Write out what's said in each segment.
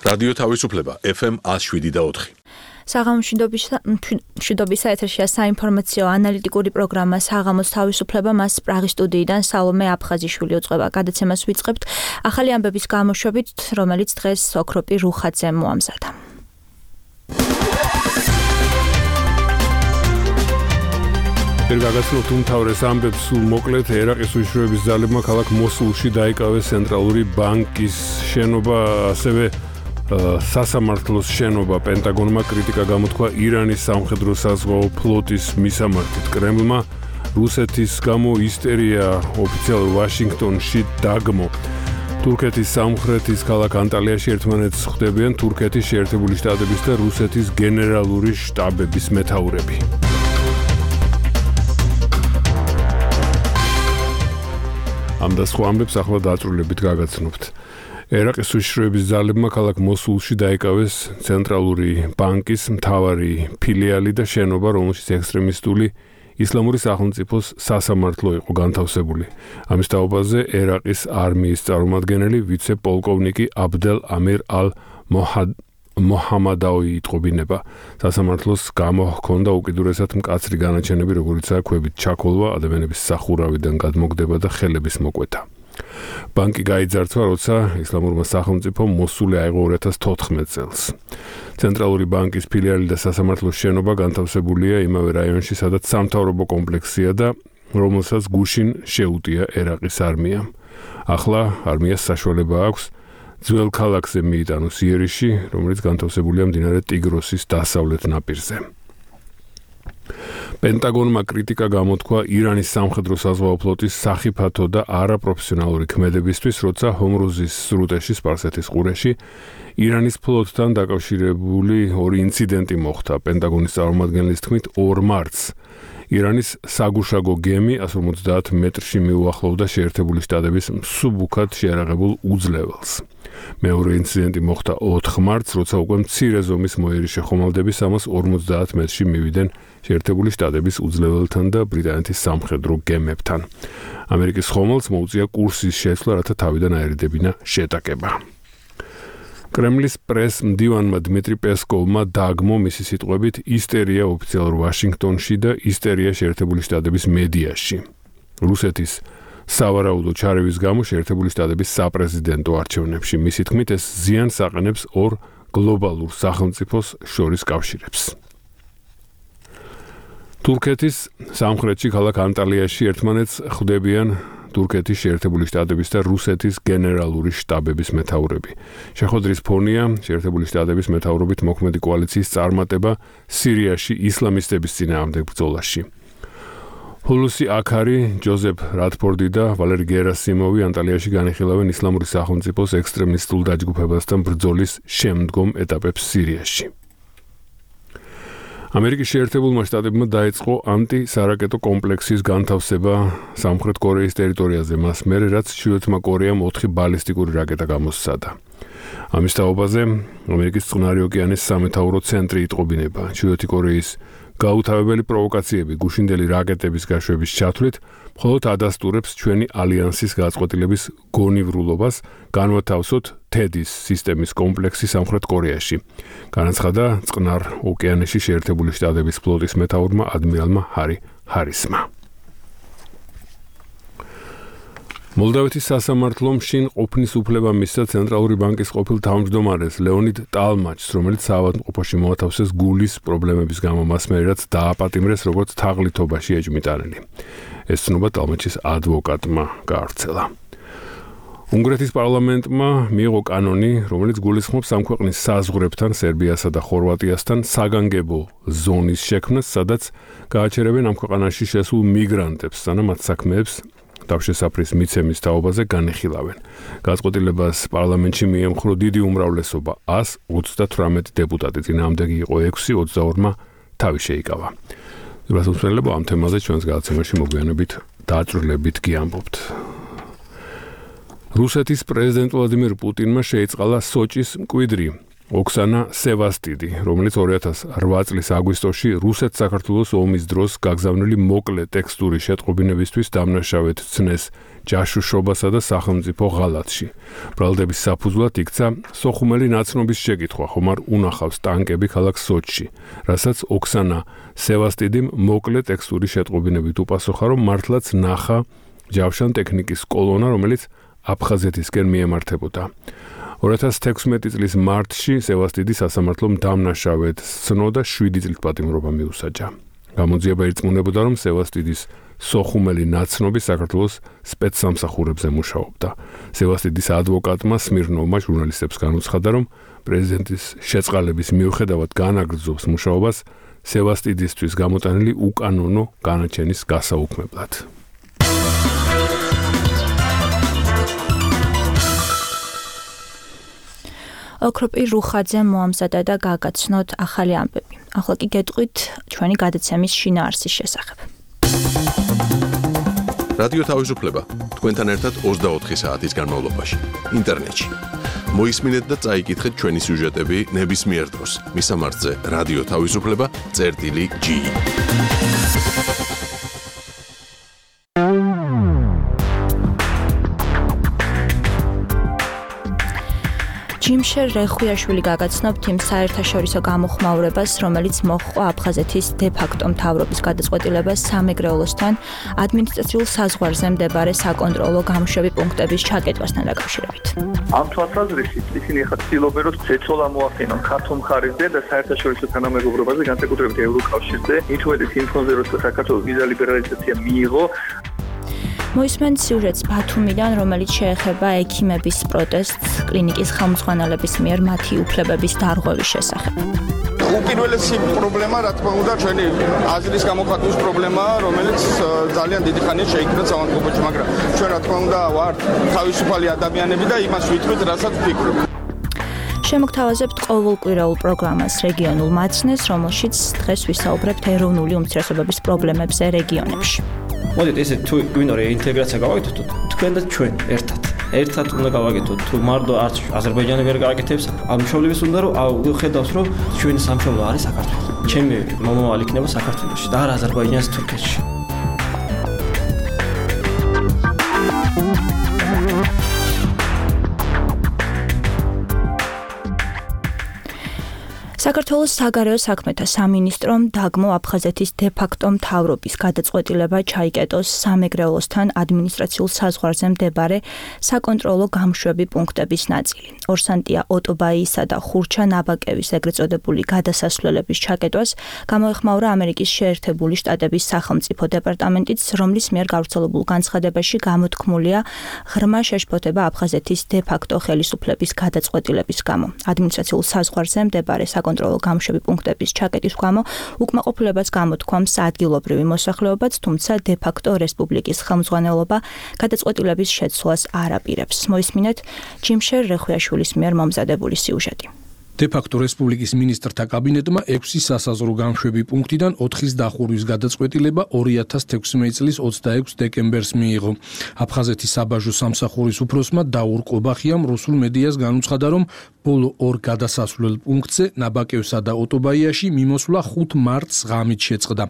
რადიო თავისუფლება FM 107.4. საღამოს მშვიდობისა ეთერშია საინფორმაციო ანალიტიკური პროგრამა საღამოს თავისუფლება, მას პრაღის სტუდიიდან სალომე აფხაზიშვილი უწყება. გადაცემას ვიწყებთ ახალი ამბების გამოშვებით, რომელიც დღეს ოქროპი რუხაძემ მოამზადა. გაგაცნობთ უმთავრეს ამბებს სულ მოკლედ. ერაყის უშუალოების ძალებმა ქალაქ მოსულში დაიკავეს ცენტრალური ბანკის შენობა, ასევე სასამართლოს შენობა. პენტაგონმა კრიტიკა გამოთქვა ირანის სამხედრო-საზღვაო ფლოტის მისამართით. კრემლმა რუსეთის გამო ისტერია ოფიციალურ ვაშინგტონში დაგმო. თურქეთის სამხრეთის ქალაქ ანტალიაში ერთმანეთს ხვდებიან თურქეთის შეერთებული შტატების და რუსეთის გენერალური შტაბების მეთაურები. ამ და სხვა ამბებს ახლა დაწვრილებით გაგაცნობთ. ერაყის უშიშროების ძალებმა ქალაქ მოსულში დაიკავეს ცენტრალური ბანკის მთავარი ფილიალი და შენობა, რომელშიც ექსტრემისტული ისლამური სახელმწიფოს სასამართლო იყო განთავსებული. ამის თაობაზე ერაყის არმიის წარმომადგენელი ვიცე-პოლკოვნიკი აბდელ ამირ მოჰამადაუი იტყობინება. სასამართლოს გამოჰქონდა უკიდურესად მკაცრი განაჩენები, როგორიცაა ქვებით ჩაქოლვა, ადამიანების სახურავიდან გადმოგდება და ხელების მოკვეთა. ბანკი გაიძარცვა, როცა ისლამურმა სახელმწიფომ მოსული აიღო 2014 წელს. ცენტრალური ბანკის ფილიალი და სასამართლოს შენობა განთავსებულია იმავე რაიონში, სადაც სამთავრობო კომპლექსია და რომელსაც გუშინ შეუტია ერაყის არმიამ. ახლა არმიას საშუალება აქვს ძველ ქალაქზე მიიტანოს იერიში, რომელიც განთავსებულია მდინარე ტიგროსის დასავლეთ ნაპირზე. პენტაგონმა კრიტიკა გამოთქვა ირანის სამხედრო-საზღვაო ფლოტის სახიფათო და არაპროფესიონალური ქმედებისთვის, როცა ჰომრუზის სრუტეში, სპარსეთის ყურეში, ირანის ფლოტთან დაკავშირებული ორი ინციდენტი მოხდა. პენტაგონის წარმომადგენლის თქმით, 2 მარტს ირანის საგუშაგო გემი 150 მეტრში მიუახლოვდა შეერთებული შტატების მსუბუქად შეარაღებულ უძლეველს. მეორე ინციდენტი მოხდა 4 მარტს, როცა უკვე მცირე ზომის მოიერი შეხომალდები 350 მეტრში მივიდნენ შეერთებული შტატების უძლეველთან და ბრიტანეთის სამხედრო გემებთან. ამერიკის ხომალდს მოუწია კურსის შეცვლა, რათა თავიდან აერიდებინა შეტაკება. კრემლის პრეს-მდივანმა დმიტრი პესკოვმა დაგმო მისი სიტყვებით ისტერია ოფიციალურ ვაშინგტონში და ისტერია შეერთებული შტატების მედიაში. რუსეთის სავარაუდო ჩარევის გამო შეერთებული შტატების საპრეზიდენტო არჩევნებში. მისი თქმით, ეს ზიანს აყენებს ორ გლობალურ სახელმწიფოს შორის კავშირებს. თურქეთის სამხრეთში ქალაქ ანტალიაში ერთმანეთს ხვდებიან თურქეთის შეერთებული შტატების და რუსეთის გენერალური შტაბების მეთაურები. შეხვედრის ფონია შეერთებული შტატების მეთაურობით მოქმედი კოალიციის წარმატება სირიაში ისლამისტების წინააღმდეგ ბრძოლაში. ჰულუსი აქარი, ჯოზეფ რატფორდი და ვალერი გერასიმოვი ანტალიაში განიხილავენ ისლამური სახელმწიფოს ექსტრემისტულ დაჯგუფებასთან ბრძოლის შემდგომ ეტაპებს სირიაში. ამერიკის შეერთებულმა შტატებმა დაიწყო ანტისარაკეტო კომპლექსის განთავსება სამხრეთ კორეის ტერიტორიაზე, მას მერე რაც ჩრდილოეთმა კორეამ 4 ბალისტიკური რაკეტა გამოსცადა. ამის თაობაზე ამერიკის წყნარი ოკეანის სამეთაურო ცენტრი იტყობინება. ჩრდილოეთი კორეის გაუთავებელი პროვოკაციები გუშინდელი რაკეტების გაშვების ჩათვლით მხოლოდ ადასტურებს ჩვენი ალიანსის გაწყვეტილების გონივრულობას განვათავსოთ თედის სისტემის კომპლექსი სამხრეთ კორეაში. განაცხადა წყნარ ოკეანეში შეერთებული შტატების ფლოტის მეთაურმა ადმირალმა ჰარი ჰარისმა. მოლდავეთის სასამართლომ შინ ყოფნის უფლება მისცა ცენტრალური ბანკის ყოფილ თავმჯდომარეს ლეონიდ ტალმაჩს, რომელიც საავადმყოფოში მოათავსეს გულის პრობლემების გამო, მას მერე რაც დააპატიმრეს როგორც თაღლითობაში ეჭვმიტანილი. ეს ცნობა ტალმაჩის ადვოკატმა გაავრცელა. უნგრეთის პარლამენტმა მიიღო კანონი, რომელიც გულისხმობს ამ ქვეყნის საზღვრებთან, სერბიასა და ხორვატიასთან საგანგებო ზონის შექმნას, სადაც გააჩერებენ ამ ქვეყანაში შესულ მიგრანტებს, სანამ მათ საქმეებს თავშესაფრის მიცემის თაობაზე განიხილავენ. გაწყვეტილებას პარლამენტში მიემხრო დიდი უმრავლესობა 138 დეპუტატი, წინააღმდეგი იყო 6, 22-მა თავი შეიკავა. გასასვლელებ ამ თემაზე ჩვენს გადაცემაში მოგვიანებით დაწვრილებით გიამბობთ. რუსეთის პრეზიდენტ ვლადიმირ პუტინმა შეიწყალა სოჭის მკვიდრი ოქსანა სევასტიდი, რომელიც 2008 წლის აგვისტოში რუსეთ-საქართველოს ომის დროს გაგზავნილი მოკლე ტექსტური შეტყობინებისთვის დამნაშავედ ცნეს ჯაშუშობასა და სახელმწიფო ღალატში. ბრალდების საფუძვლად იქცა სოხუმელი ნაცნობის შეკითხვა, ხომ არ უნახავს ტანკები ქალაქ სოჩში, რასაც ოქსანა სევასტიდიმ მოკლე ტექსტური შეტყობინებით უპასუხა, რომ მართლაც ნახა ჯავშან ტექნიკის კოლონა, რომელიც აფხაზეთისკენ მიემართებოდა. 2016 წლის მარტში სევასტიდი სასამართლომ დამნაშავედ სცნო და 7 წლის პატიმრობა მიუსაჯა. გამოძიება ირწმუნებოდა, რომ სევასტიდის სოხუმელი ნაცნობი საქართველოს სპეცსამსახურებზე მუშაობდა. სევასტიდის ადვოკატმა სმირნოვმა ჟურნალისტებს განუცხადა, რომ პრეზიდენტის შეწყალების მიუხედავად განაგრძობს მუშაობას სევასტიდისთვის გამოტანილი უკანონო განაჩენის გასაუქმებლად. ოქროპირ რუხაძე მოამზადა და გაგაცნოთ ახალი ამბები. ახლა კი გეტყვით ჩვენი გადაცემის შინაარსის შესახებ. რადიო თავისუფლება თქვენთან ერთად 24 საათის განმავლობაში ინტერნეტში. მოისმინეთ და წაიკითხეთ ჩვენი სიუჟეტები ნებისმიერ დროს. მისამართზე რადიო თავისუფლება.gi. ჯიმშერ რეხვიაშვილი გაგაცნობთ იმ საერთაშორისო გამოხმაურებას, რომელიც მოჰყვა აფხაზეთის დე-ფაქტო მთავრობის გადაწყვეტილებას სამეგრელოსთან ადმინისტრაციულ საზღვარზე მდებარე საკონტროლო გამოშვები პუნქტების ჩაკეტვასთან დაკავშირებით. ამ თვალსაზრისით ისინი ახლა ცდილობენ, რომ ზეწოლა მოახდინონ ქართულ მხარეზე და საერთაშორისო თანამეგობრობაზე, განსაკუთრებით ევროკავშირზე, მით უმეტეს იმ ფონზე, როცა საქართველოს ვიზა ლიბერალიზაცია მიიღო. მოისმენთ სიუჟეტს ბათუმიდან, რომელიც შეეხება ექიმების პროტესტს კლინიკის ხელმძღვანელების მიერ მათი უფლებების დარღვევის შესახებ. უპირველესი პრობლემა, რა თქმა უნდა, ჩვენი აზრის გამოხატვის პრობლემაა, რომელიც ძალიან დიდი ხანია შეიქმნა სამართლებაში, მაგრამ ჩვენ რა თქმა უნდა ვართ თავისუფალი ადამიანები და იმას ვითვლით, რასაც ვფიქრობ. შემოგთავაზებთ ყოველკვირეულ პროგრამას რეგიონულ მაცნეს, რომელშიც დღეს ვისაუბრებთ ეროვნული უმცირესობების პრობლემებზე რეგიონებში. მოდით ესე თუ გვინდა რეინტეგრაცია გავაკეთოთ თქვენ და ჩვენ ერთად უნდა გავაკეთოთ თუ მარტო არც აზერბაიჯანი ვერ გააკეთებს ამ მშობლების უნდა რომ ხედავს რომ ჩვენი სამშობლო არის საქართველო ჩემი მომავალი იქნება საქართველოში და არა აზერბაიჯანს თურქეთში საქართველოს საგარეო საქმეთა სამინისტრომ დაგმო აფხაზეთის დე-ფაქტო მთავრობის გადაწყვეტილება ჩაიკეტოს სამეგრელოსთან ადმინისტრაციულ საზღვარზე მდებარე საკონტროლო გამოშვები პუნქტების ნაწილი. ორსანტია ოტობაიისა და ხურჩა ნაბაკევის ეგრეთ წოდებული გადასასვლელების ჩაკეტვას გამოეხმაურა ამერიკის შეერთებული შტატების სახელმწიფო დეპარტამენტიც, რომლის მიერ გავრცელებულ განცხადებაში გამოთქმულია ღრმა შეშფოთება აფხაზეთის დე-ფაქტო ხელისუფლების გადაწყვეტილების გამო. ადმინისტრაციულ საზღვარზე მდებარე საკონტროლო გამოშვები პუნქტების ჩაკეტის გამო უკმაყოფილებას გამოთქვამს ადგილობრივი მოსახლეობაც, თუმცა დე-ფაქტო რესპუბლიკის ხელმძღვანელობა გადაწყვეტილების შეცვლას არ აპირებს. მოისმინეთ ჯიმშერ რეხვიაშვილის მიერ მომზადებული სიუჟეტი. დე-ფაქტო რესპუბლიკის მინისტრთა კაბინეტმა 6 სასაზღვრო გამოშვები პუნქტიდან 4-ის დახურვის გადაწყვეტილება 2016 წლის 26 დეკემბერს მიიღო. აფხაზეთის საბაჟო სამსახურის უფროსმა დაურ ყობახიამ რუსულ მედიას განუცხადა, რომ ბოლო 2 გადასასვლელ პუნქტზე ნაბაკევსა და ოტობაიაში მიმოსვლა 5 მარტს ღამით შეწყდა.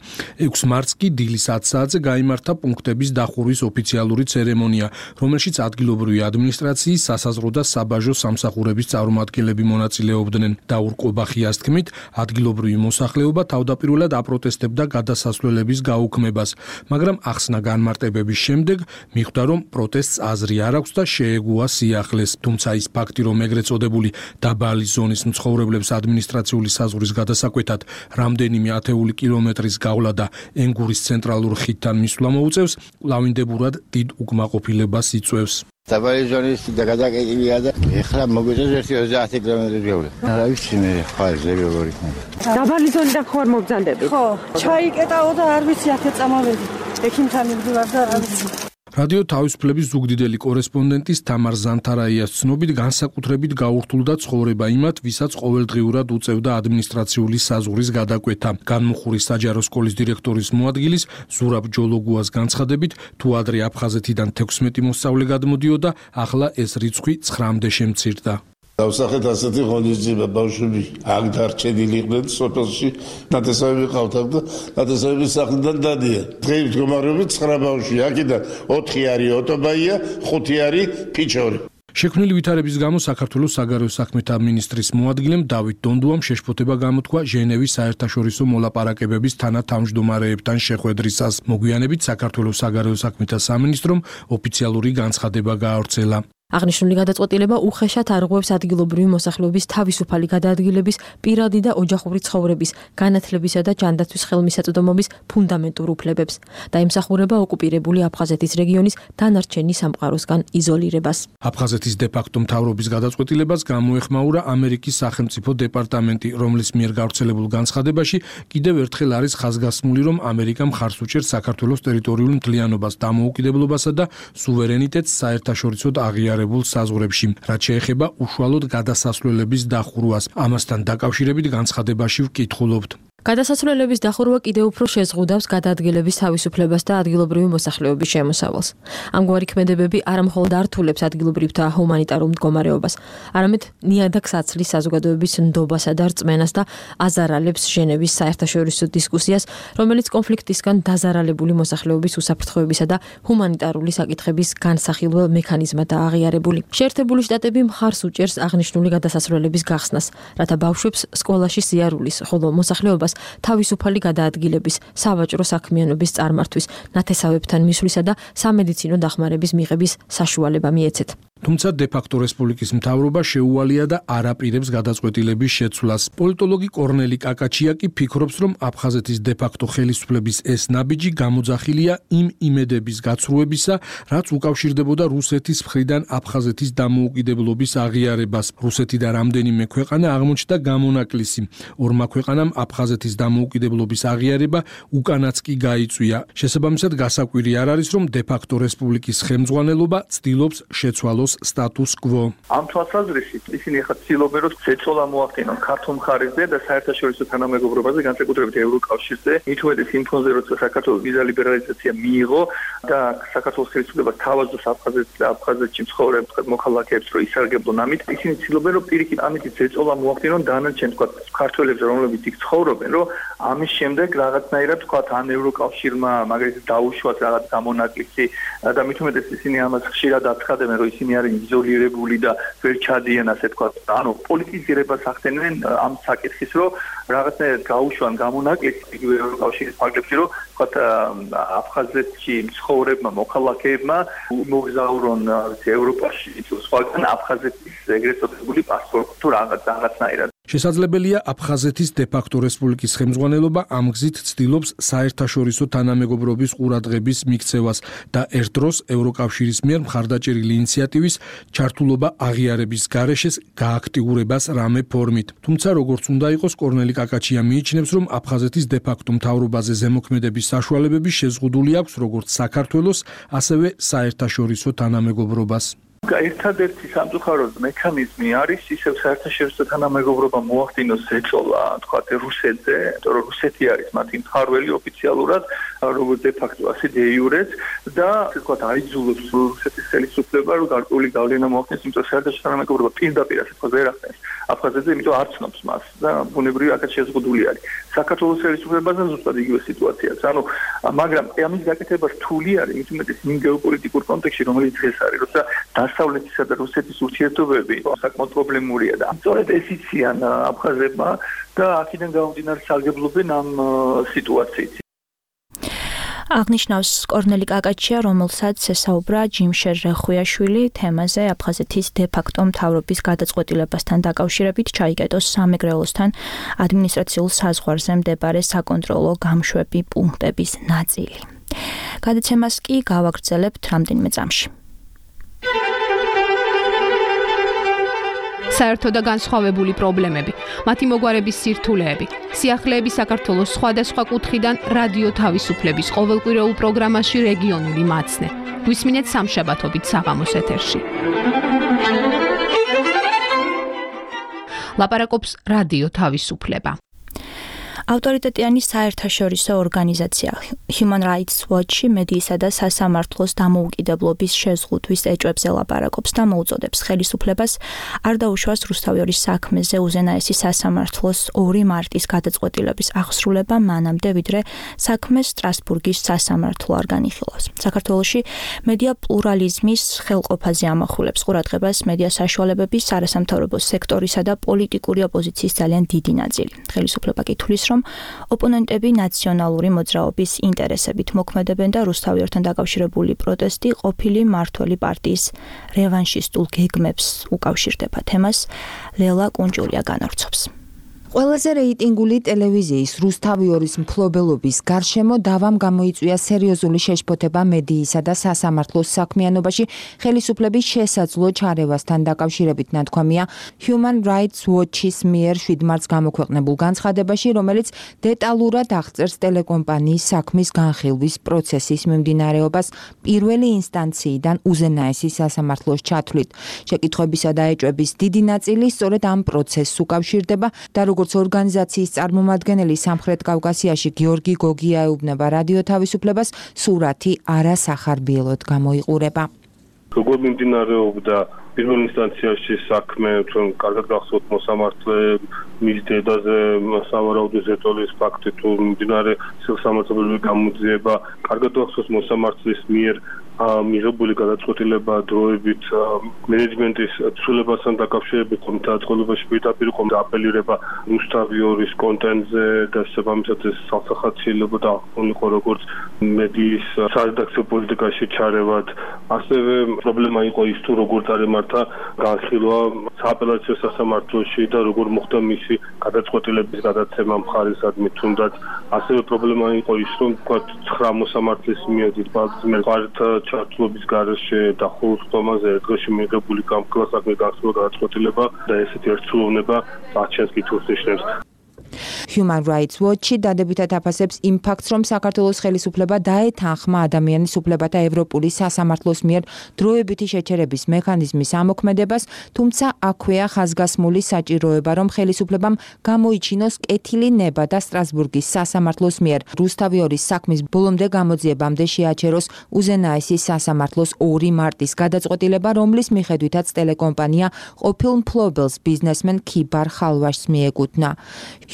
6 მარტს კი დილის 10 საათზე გაიმართა პუნქტების დახურვის ოფიციალური ცერემონია, რომელშიც ადგილობრივი ადმინისტრაციის, სასაზღვრო და საბაჟო სამსახურების წარმომადგენლები მონაწილეობდნენ. დაურ ყობახიას თქმით, ადგილობრივი მოსახლეობა თავდაპირველად აპროტესტებდა გადასასვლელების გაუქმებას, მაგრამ ახსნა განმარტებების შემდეგ მიხვდა, რომ პროტესტს აზრი არ აქვს და შეეგუა სიახლეს. თუმცა ის ფაქტი, რომ ეგრეთ წოდებული დაბალი ზონის მცხოვრებლებს ადმინისტრაციული საზღვრის გადასაკვეთად რამდენიმე ათეული კილომეტრის გავლა და ენგურის ცენტრალურ ხიდთან მისვლა მოუწევს, კვლავინდებურად დიდ უკმაყოფილებას იწვევს. დაბალი ზონის გადაკეთებია და ეხლა მოგვიწევს 30 კილომეტრი გავლა. რა ვიცი მე ხვალები როგორ იქნება. დაბალი ზონიდან ხوار მოგზანდები? ხო, ჩაიკეტაო და არ ვიცი აქ წამოვედი. ექიმთან მივდივარ და არ ვიცი. რადიო თავისუფლების ზუგდიდელი კორესპონდენტის თამარ ზანთარაიას ცნობით განსაკუთრებით გაურთულდა ცხოვრება იმათ, ვისაც ყოველდღიურად უწევდა ადმინისტრაციული საზღვრის გადაკვეთა. განმუხურის საჯარო სკოლის დირექტორის მოადგილის ზურაბ ჯოლოგუას განცხადებით, თუ ადრე აფხაზეთიდან 16 მოსწავლე გადმოდიოდა, ახლა ეს რიცხვი 9-მდე შემცირდა. დავსახეთ ასეთი ღონისძიება ბავშვები აქ დარჩენილი იყვნენ სოფელში ნათესავები ყავთ და ნათესავების სახლიდან დადიან დღეის მდგომარეობით 9 ბავშვი აქედან 4 არის ოტობაია 5 არის ფიჩორი შექმნილი ვითარების გამო საქართველოს საგარეო საქმეთა მინისტრის მოადგილემ დავით დონდუამ შეშფოთება გამოთქვა ჟენევის საერთაშორისო მოლაპარაკებების თანათავმჯდომარეებთან შეხვედრისას. მოგვიანებით საქართველოს საგარეო საქმეთა სამინისტრომ ოფიციალური განცხადება გაავრცელა. აღნიშნული გადაწყვეტილება უხეშად არღვევს ადგილობრივი მოსახლეობის თავისუფალი გადაადგილების, პირადი და ოჯახური ცხოვრების, განათლებისა და ჯანდაცვის ხელმისაწვდომობის ფუნდამენტურ უფლებებს და ემსახურება ოკუპირებული აფხაზეთის რეგიონის დანარჩენი სამყაროსგან იზოლირებას. აფხაზეთის დე-ფაქტო მთავრობის გადაწყვეტილებას გამოეხმაურა ამერიკის სახელმწიფო დეპარტამენტი, რომლის მიერ გავრცელებულ განცხადებაში კიდევ ერთხელ არის ხაზგასმული, რომ ამერიკა მხარს უჭერს საქართველოს ტერიტორიულ მთლიანობას, დამოუკიდებლობასა და სუვერენიტეტს საერთაშორისო აღიარებულ საზღვრებში, რაც შეეხება უშუალოდ გადასასვლელების დახურვას. ამასთან დაკავშირებით განცხადებაში ვკითხულობთ. გადასასვლელების დახურვა კიდევ უფრო შეზღუდავს გადაადგილების თავისუფლებას და ადგილობრივი მოსახლეობის შემოსავალს. ამგვარი ქმედებები არა მხოლოდ ართულებს ადგილობრივთა ჰუმანიტარულ მდგომარეობას, არამედ ნიადაგს აცლის საზოგადოების ნდობასა და რწმენას და აზარალებს ჟენევის საერთაშორისო დისკუსიას, რომელიც კონფლიქტისგან დაზარალებული მოსახლეობის უსაფრთხოებისა და ჰუმანიტარული საკითხების განსახილველ მექანიზმადაა აღიარებული. შეერთებული შტატები მხარს უჭერს აღნიშნული გადასასვლელების გახსნას, რათა ბავშვებს სკოლაში სიარულის, ხოლო მოსახლეობას თავისუფალი გადაადგილების, სავაჭრო საქმიანობის წარმართვის, ნათესავებთან მისვლისა და სამედიცინო დახმარების მიღების საშუალება მიეცეთ. თუმცა დე-ფაქტო რესპუბლიკის მთავრობა შეუვალია და არ აპირებს გადაწყვეტილების შეცვლას. პოლიტოლოგი კორნელი კაკაჩია კი ფიქრობს, რომ აფხაზეთის დე-ფაქტო ხელისუფლების ეს ნაბიჯი გამოძახილია იმ იმედების გაცრუებისა, რაც უკავშირდებოდა რუსეთის მხრიდან აფხაზეთის დამოუკიდებლობის აღიარებას. რუსეთი და რამდენიმე ქვეყანა აღმოჩნდა გამონაკლისი. ორმა ქვეყანამ აფხაზეთის დამოუკიდებლობის აღიარება უკანაც კი გაიწვია. შესაბამისად, გასაკვირი არ არის, რომ დე-ფაქტო რესპუბლიკის ხელმძღვანელობა ცდილობს შეცვალოს სტატუს კვო. ამ თვალსაზრისით ისინი ახლა ცდილობენ, რომ ზეწოლა მოახდინონ ქართულ მხარეზე და საერთაშორისო თანამეგობრობაზე, განსაკუთრებით ევროკავშირზე, მით უმეტეს იმ ფონზე, როცა საქართველოს ვიზა ლიბერალიზაცია მიიღო და საქართველოს ხელისუფლება თავაზობს აფხაზეთში მცხოვრებ მოქალაქეებს, რომ ისარგებლონ ამით, ისინი ცდილობენ, რომ პირიქით ამით ზეწოლა მოახდინონ დანარჩენ ქართველებს, რომლებიც იქ ცხოვრობენ, რომ ამის შემდეგ რაღაცნაირად ან ევროკავშირმა მაგალითად დაუშვათ რაღაც გამონაკლისი და მით უმეტეს ისინი ამას ხშირად აცხადებენ, რომ ისინი არიან იზოლირებული და ვერ ჩადიან, ასე თქვა. ანუ პოლიტიზირებას ახდენენ ამ საკითხის, რომ რაღაცნაირად გაუშვან გამონაკლისი იგივე ევროკავშირის ფარგლებში, რომ თქვა აფხაზეთში მცხოვრებმა მოქალაქეებმა მოგზაურონ ევროპაში, სხვაგან აფხაზეთის ეგრეთ წოდებული პასპორტი თუ რაღაცნაირად. შესაძლებელია აფხაზეთის დე-ფაქტო რესპუბლიკის ხელმძღვანელობა ამ გზით ცდილობს საერთაშორისო თანამეგობრობის ყურადღების მიქცევას და ერთ დროს ევროკავშირის მიერ მხარდაჭერილი ინიციატივის ჩართულობა აღიარების გარეშე გააქტიურებას რამე ფორმით. თუმცა როგორც უნდა იყოს, კორნელი კაკაჩია მიიჩნევს, რომ აფხაზეთის დე-ფაქტო მთავრობაზე ზემოქმედების საშუალებები შეზღუდული აქვს როგორც საქართველოს, ასევე საერთაშორისო თანამეგობრობას. ერთადერთი სამწუხაროდ მექანიზმი არის ისევ საერთაშორისო თანამეგობრობა მოახდინოს ზეწოლა, თქვა რუსეთზე, იმიტომ რომ რუსეთი არის მათი მფარველი ოფიციალურად, როგორც დე-ფაქტო, ასე დე-იურეც და თქვა აიძულებს რუსეთის ხელისუფლება, რომ გარკვეული გავლენა მოახდინოს, იმიტომ რომ საერთაშორისო თანამეგობრობა პირდაპირ ასე თქვა ვერ ახდენს აფხაზეთზე, იმიტომ არ ცნობს მას და ბუნებრივი აქაც შეზღუდული არის. საქართველოს ხელისუფლებაზე ზუსტად იგივე სიტუაციაა. ანუ მაგრამ ამის გაკეთება რთული არის, მით უმეტეს იმ გეოპოლიტიკურ კონტექსტში, რომელიც დღეს არის, როცა დასავლეთისა და რუსეთის ურთიერთობები საკმაოდ პრობლემურია და სწორედ ეს იციან აფხაზებმა და აქედან გამომდინარე სარგებლობენ ამ სიტუაციით. აღნიშნავს კორნელი კაკაჩია, რომელსაც ესაუბრა ჯიმშერ რეხუიაშვილი თემაზე აფხაზეთის დე-ფაქტო მთავრობის გადაწყვეტილებასთან დაკავშირებით ჩაიკეტოს სამეგრელოსთან ადმინისტრაციულ საზღვარზე მდებარე საკონტროლო გამშვები პუნქტების ნაწილი. გადაცემას კი გავაგრძელებთ რამდენიმე წამში. საერთო და განსხვავებული პრობლემები, მათი მოგვარების სირთულეები, სიახლეები საქართველოს სხვადასხვა კუთხიდან რადიო თავისუფლების ყოველკვირეულ პროგრამაში რეგიონული მაცნე. გვისმინეთ სამშაბათობით საღამოს ეთერში. ლაპარაკობს რადიო თავისუფლება. ავტორიტეტიანი საერთაშორისო ორგანიზაცია Human Rights Watch მედიისა და სასამართლოს დამოუკიდებლობის შეზღუდვის ეჭვებზე ლაპარაკობს და მოუწოდებს ხელისუფლებას არ დაუშვას რუსთავიორის საქმეზე უზენაესი სასამართლოს 2 მარტის გადაწყვეტილების აღსრულება მანამდე, ვიდრე საქმე სტრასბურგის სასამართლო არ განიხილავს. საქართველოში მედია პლურალიზმის ხელყოფაზე ამახვილებს ყურადღებას მედია საშუალებების არასამთავრობო სექტორისა და პოლიტიკური ოპოზიციის ძალიან დიდი ნაწილი. ხელისუფლება კითხვის რომ ოპონენტები ნაციონალური მოძრაობის ინტერესებით მოქმედებენ და რუსთავიორთან დაკავშირებული პროტესტი ყოფილი მართველი პარტიის რევანშისტულ გეგმებს უკავშირდება. თემას ლელა კუნჭულია განავრცობს. ყველაზე რეიტინგული ტელევიზიის რუსთავიორის მფლობელობის გარშემო დავამ გამოიწვია სერიოზული შეშფოთება მედიისა და სასამართლოს საქმიანობაში ხელისუფლების შესაძლო ჩარევასთან დაკავშირებით ნათქვამია Human Rights Watch-ის მიერ 7 მარტს გამოქვეყნებულ განცხადებაში, რომელიც დეტალურად აღწერს ტელეკომპანიის საქმის განხილვის პროცესის მიმდინარეობას პირველი ინსტანციიდან უზენაესი სასამართლოს ჩათვლით. შეკითხვებისა და ეჭვების დიდი ნაწილი სწორედ ამ პროცესს უკავშირდება და როგორც ორგანიზაციის წარმომადგენელი სამხრეთ კავკასიაში გიორგი გოგია ეუბნება რადიო თავისუფლებას, სურათი არასახარბიელოდ გამოიყურება. როგორ მიმდინარეობდა პირველ ინსტანციაში საქმე, ჩვენ კარგად გახსოვთ მოსამართლე მის დედაზე სავარაუდო ზეწოლის ფაქტი თუ მიმდინარე სილსამართლობრივი გამოძიება, კარგად გახსოვთ მოსამართლის მიერ მიღებული გადაწყვეტილება დროებით მენეჯმენტის ცვლილებასთან დაკავშირებით გადაწყვეტილებაში პირდაპირ აპელირება რუსთავიორის კონტენტზე და შესაბამისად ეს სახალხო დაყოლიყო როგორც მედიის სარედაქციო პოლიტიკაში ჩარევად. ასევე პრობლემა იყო ის თუ როგორ წარემართა განხილვა სააპელაციო სასამართლოში და როგორ მოხდა მისი გადაწყვეტილების გადაცემა მხარისადმი თუნდაც. ასევე პრობლემა იყო ის რომ თქვა 9 მოსამართლის მიერ ჩართულობის გარეშე და ხუთომაზე დღეში მიღებული გამქლა საქმე გახსოვდა გადაწყვეტილება და ესეთი ერთსულოვნება აჩენს კითხვას ნიშნებს. Human Rights Watch დადებითად აფასებს იმ ფაქტს, რომ საქართველოს ხელისუფლება დაეთანხმა ადამიანის უფლებათა ევროპული სასამართლოს მიერ დროებითი შეჩერების მექანიზმის ამოქმედებას, თუმცა აქვეა ხაზგასმული საჭიროება, რომ ხელისუფლებამ გამოიჩინოს კეთილი ნება და სტრასბურგის სასამართლოს მიერ რუსთავიორის საქმის ბოლომდე გამოძიებამდე შეაჩეროს უზენაესი სასამართლოს 2 მარტის გადაწყვეტილება, რომლის მიხედვითაც ტელეკომპანია ყოფილ მფლობელს ბიზნესმენ ქიბარ ხალვაშს მიეკუთვნა.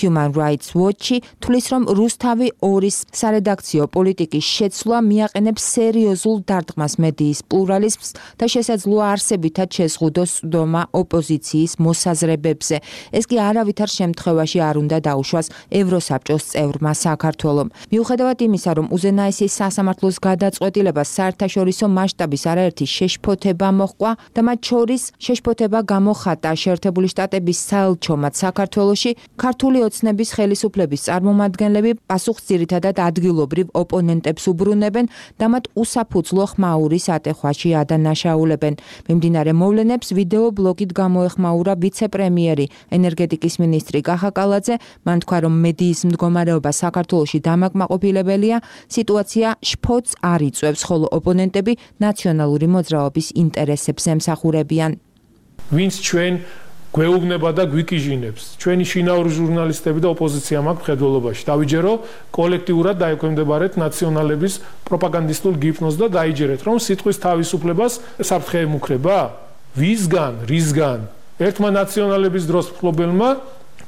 Human Rights Watch თვლის, რომ რუსთავი 2-ის სარედაქციო პოლიტიკის შეცვლა მიაყენებს სერიოზულ დარტყმას მედიის პლურალიზმს და შესაძლოა არსებითად შეზღუდოს სვდომა ოპოზიციის მოსაზრებებზე. ეს კი არავითარ შემთხვევაში არ უნდა დაუშვას ევროსაბჭოს წევრმა საქართველომ. მიუხედავად იმისა, რომ უზენაესი სასამართლოს გადაწყვეტილებას საერთაშორისო მასშტაბის არაერთი შეშფოთება მოჰყვა და მათ შორის შეშფოთება გამოხატა შეერთებული შტატების საელჩომად საქართველოში, ქართული ოცნების ხელისუფლების წარმომადგენლები პასუხს ძირითადად ადგილობრივ ოპონენტებს უბრუნებენ და მათ უსაფუძვლო ხმაურის ატეხვაში ადანაშაულებენ. მიმდინარე მოვლენებს ვიდეო ბლოგით გამოეხმაურა ვიცე-პრემიერი ენერგეტიკის მინისტრი კახა კალაძე. მან თქვა, რომ მედიის მდგომარეობა საქართველოში დამაკმაყოფილებელია, სიტუაცია შფოთს არ იწვევს, ხოლო ოპონენტები ნაციონალური მოძრაობის ინტერესებს ემსახურებიან. ვინც ჩვენ გვეუბნება და გვიკიჟინებს. ჩვენი შინაური ჟურნალისტები და ოპოზიცია მაქვს მხედველობაში. დავიჯერო კოლექტიურად დაექვემდებარეთ ნაციონალების პროპაგანდისტულ გიფნოს და დაიჯერეთ, რომ სიტყვის თავისუფლებას საფრთხე ემუქრება? ვისგან, რისგან? ერთმა ნაციონალების დროს მფლობელმა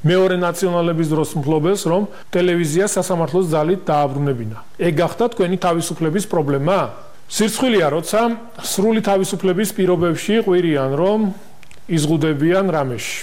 მეორე ნაციონალების დროს მფლობელს, რომ ტელევიზია სასამართლოს ძალით დააბრუნებინა. ეგ გახდა თქვენი თავისუფლების პრობლემა? სირცხვილია, როცა სრული თავისუფლების პირობებში ყვირიან, რომ იზღუდებიან რამეში.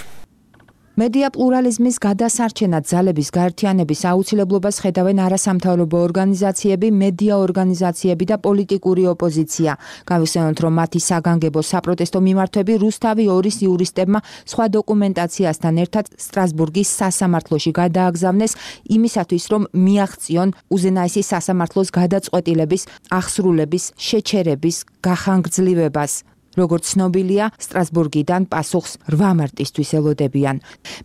მედია პლურალიზმის გადასარჩენად ძალების გაერთიანების აუცილებლობას ხედავენ არასამთავრობო ორგანიზაციები, მედია ორგანიზაციები და პოლიტიკური ოპოზიცია. გავიხსენოთ, რომ მათი საგანგებო საპროტესტო მიმართვები რუსთავი 2-ის იურისტებმა სხვა დოკუმენტაციასთან ერთად სტრასბურგის სასამართლოში გადააგზავნეს იმისათვის, რომ მიაღწიონ უზენაესი სასამართლოს გადაწყვეტილების აღსრულების შეჩერების გახანგრძლივებას. როგორც ცნობილია, სტრასბურგიდან პასუხს 8 მარტისთვის ელოდებიან.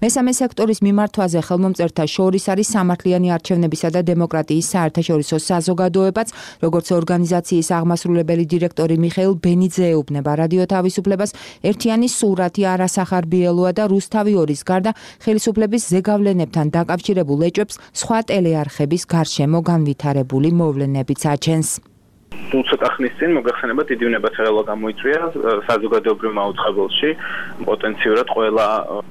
მესამე სექტორის მიმართვაზე ხელმომწერთა შორის არის სამართლიანი არჩევნებისა და დემოკრატიის საერთაშორისო საზოგადოებაც, როგორც ორგანიზაციის აღმასრულებელი დირექტორი მიხეილ ბენიძე ეუბნება რადიო თავისუფლებას, ერთიანი სურათი არასახარბიელოა და რუსთავი 2-ის გარდა ხელისუფლების ზეგავლენებთან დაკავშირებულ ეჭვებს სხვა ტელეარხების გარშემო განვითარებული მოვლენებიც აჩენს. ცოტა ხნის წინ მოგახსენება დიდი უნებათაღელვა გამოიწვია საზოგადოებრივ მაუწყებელში პოტენციურად ყველა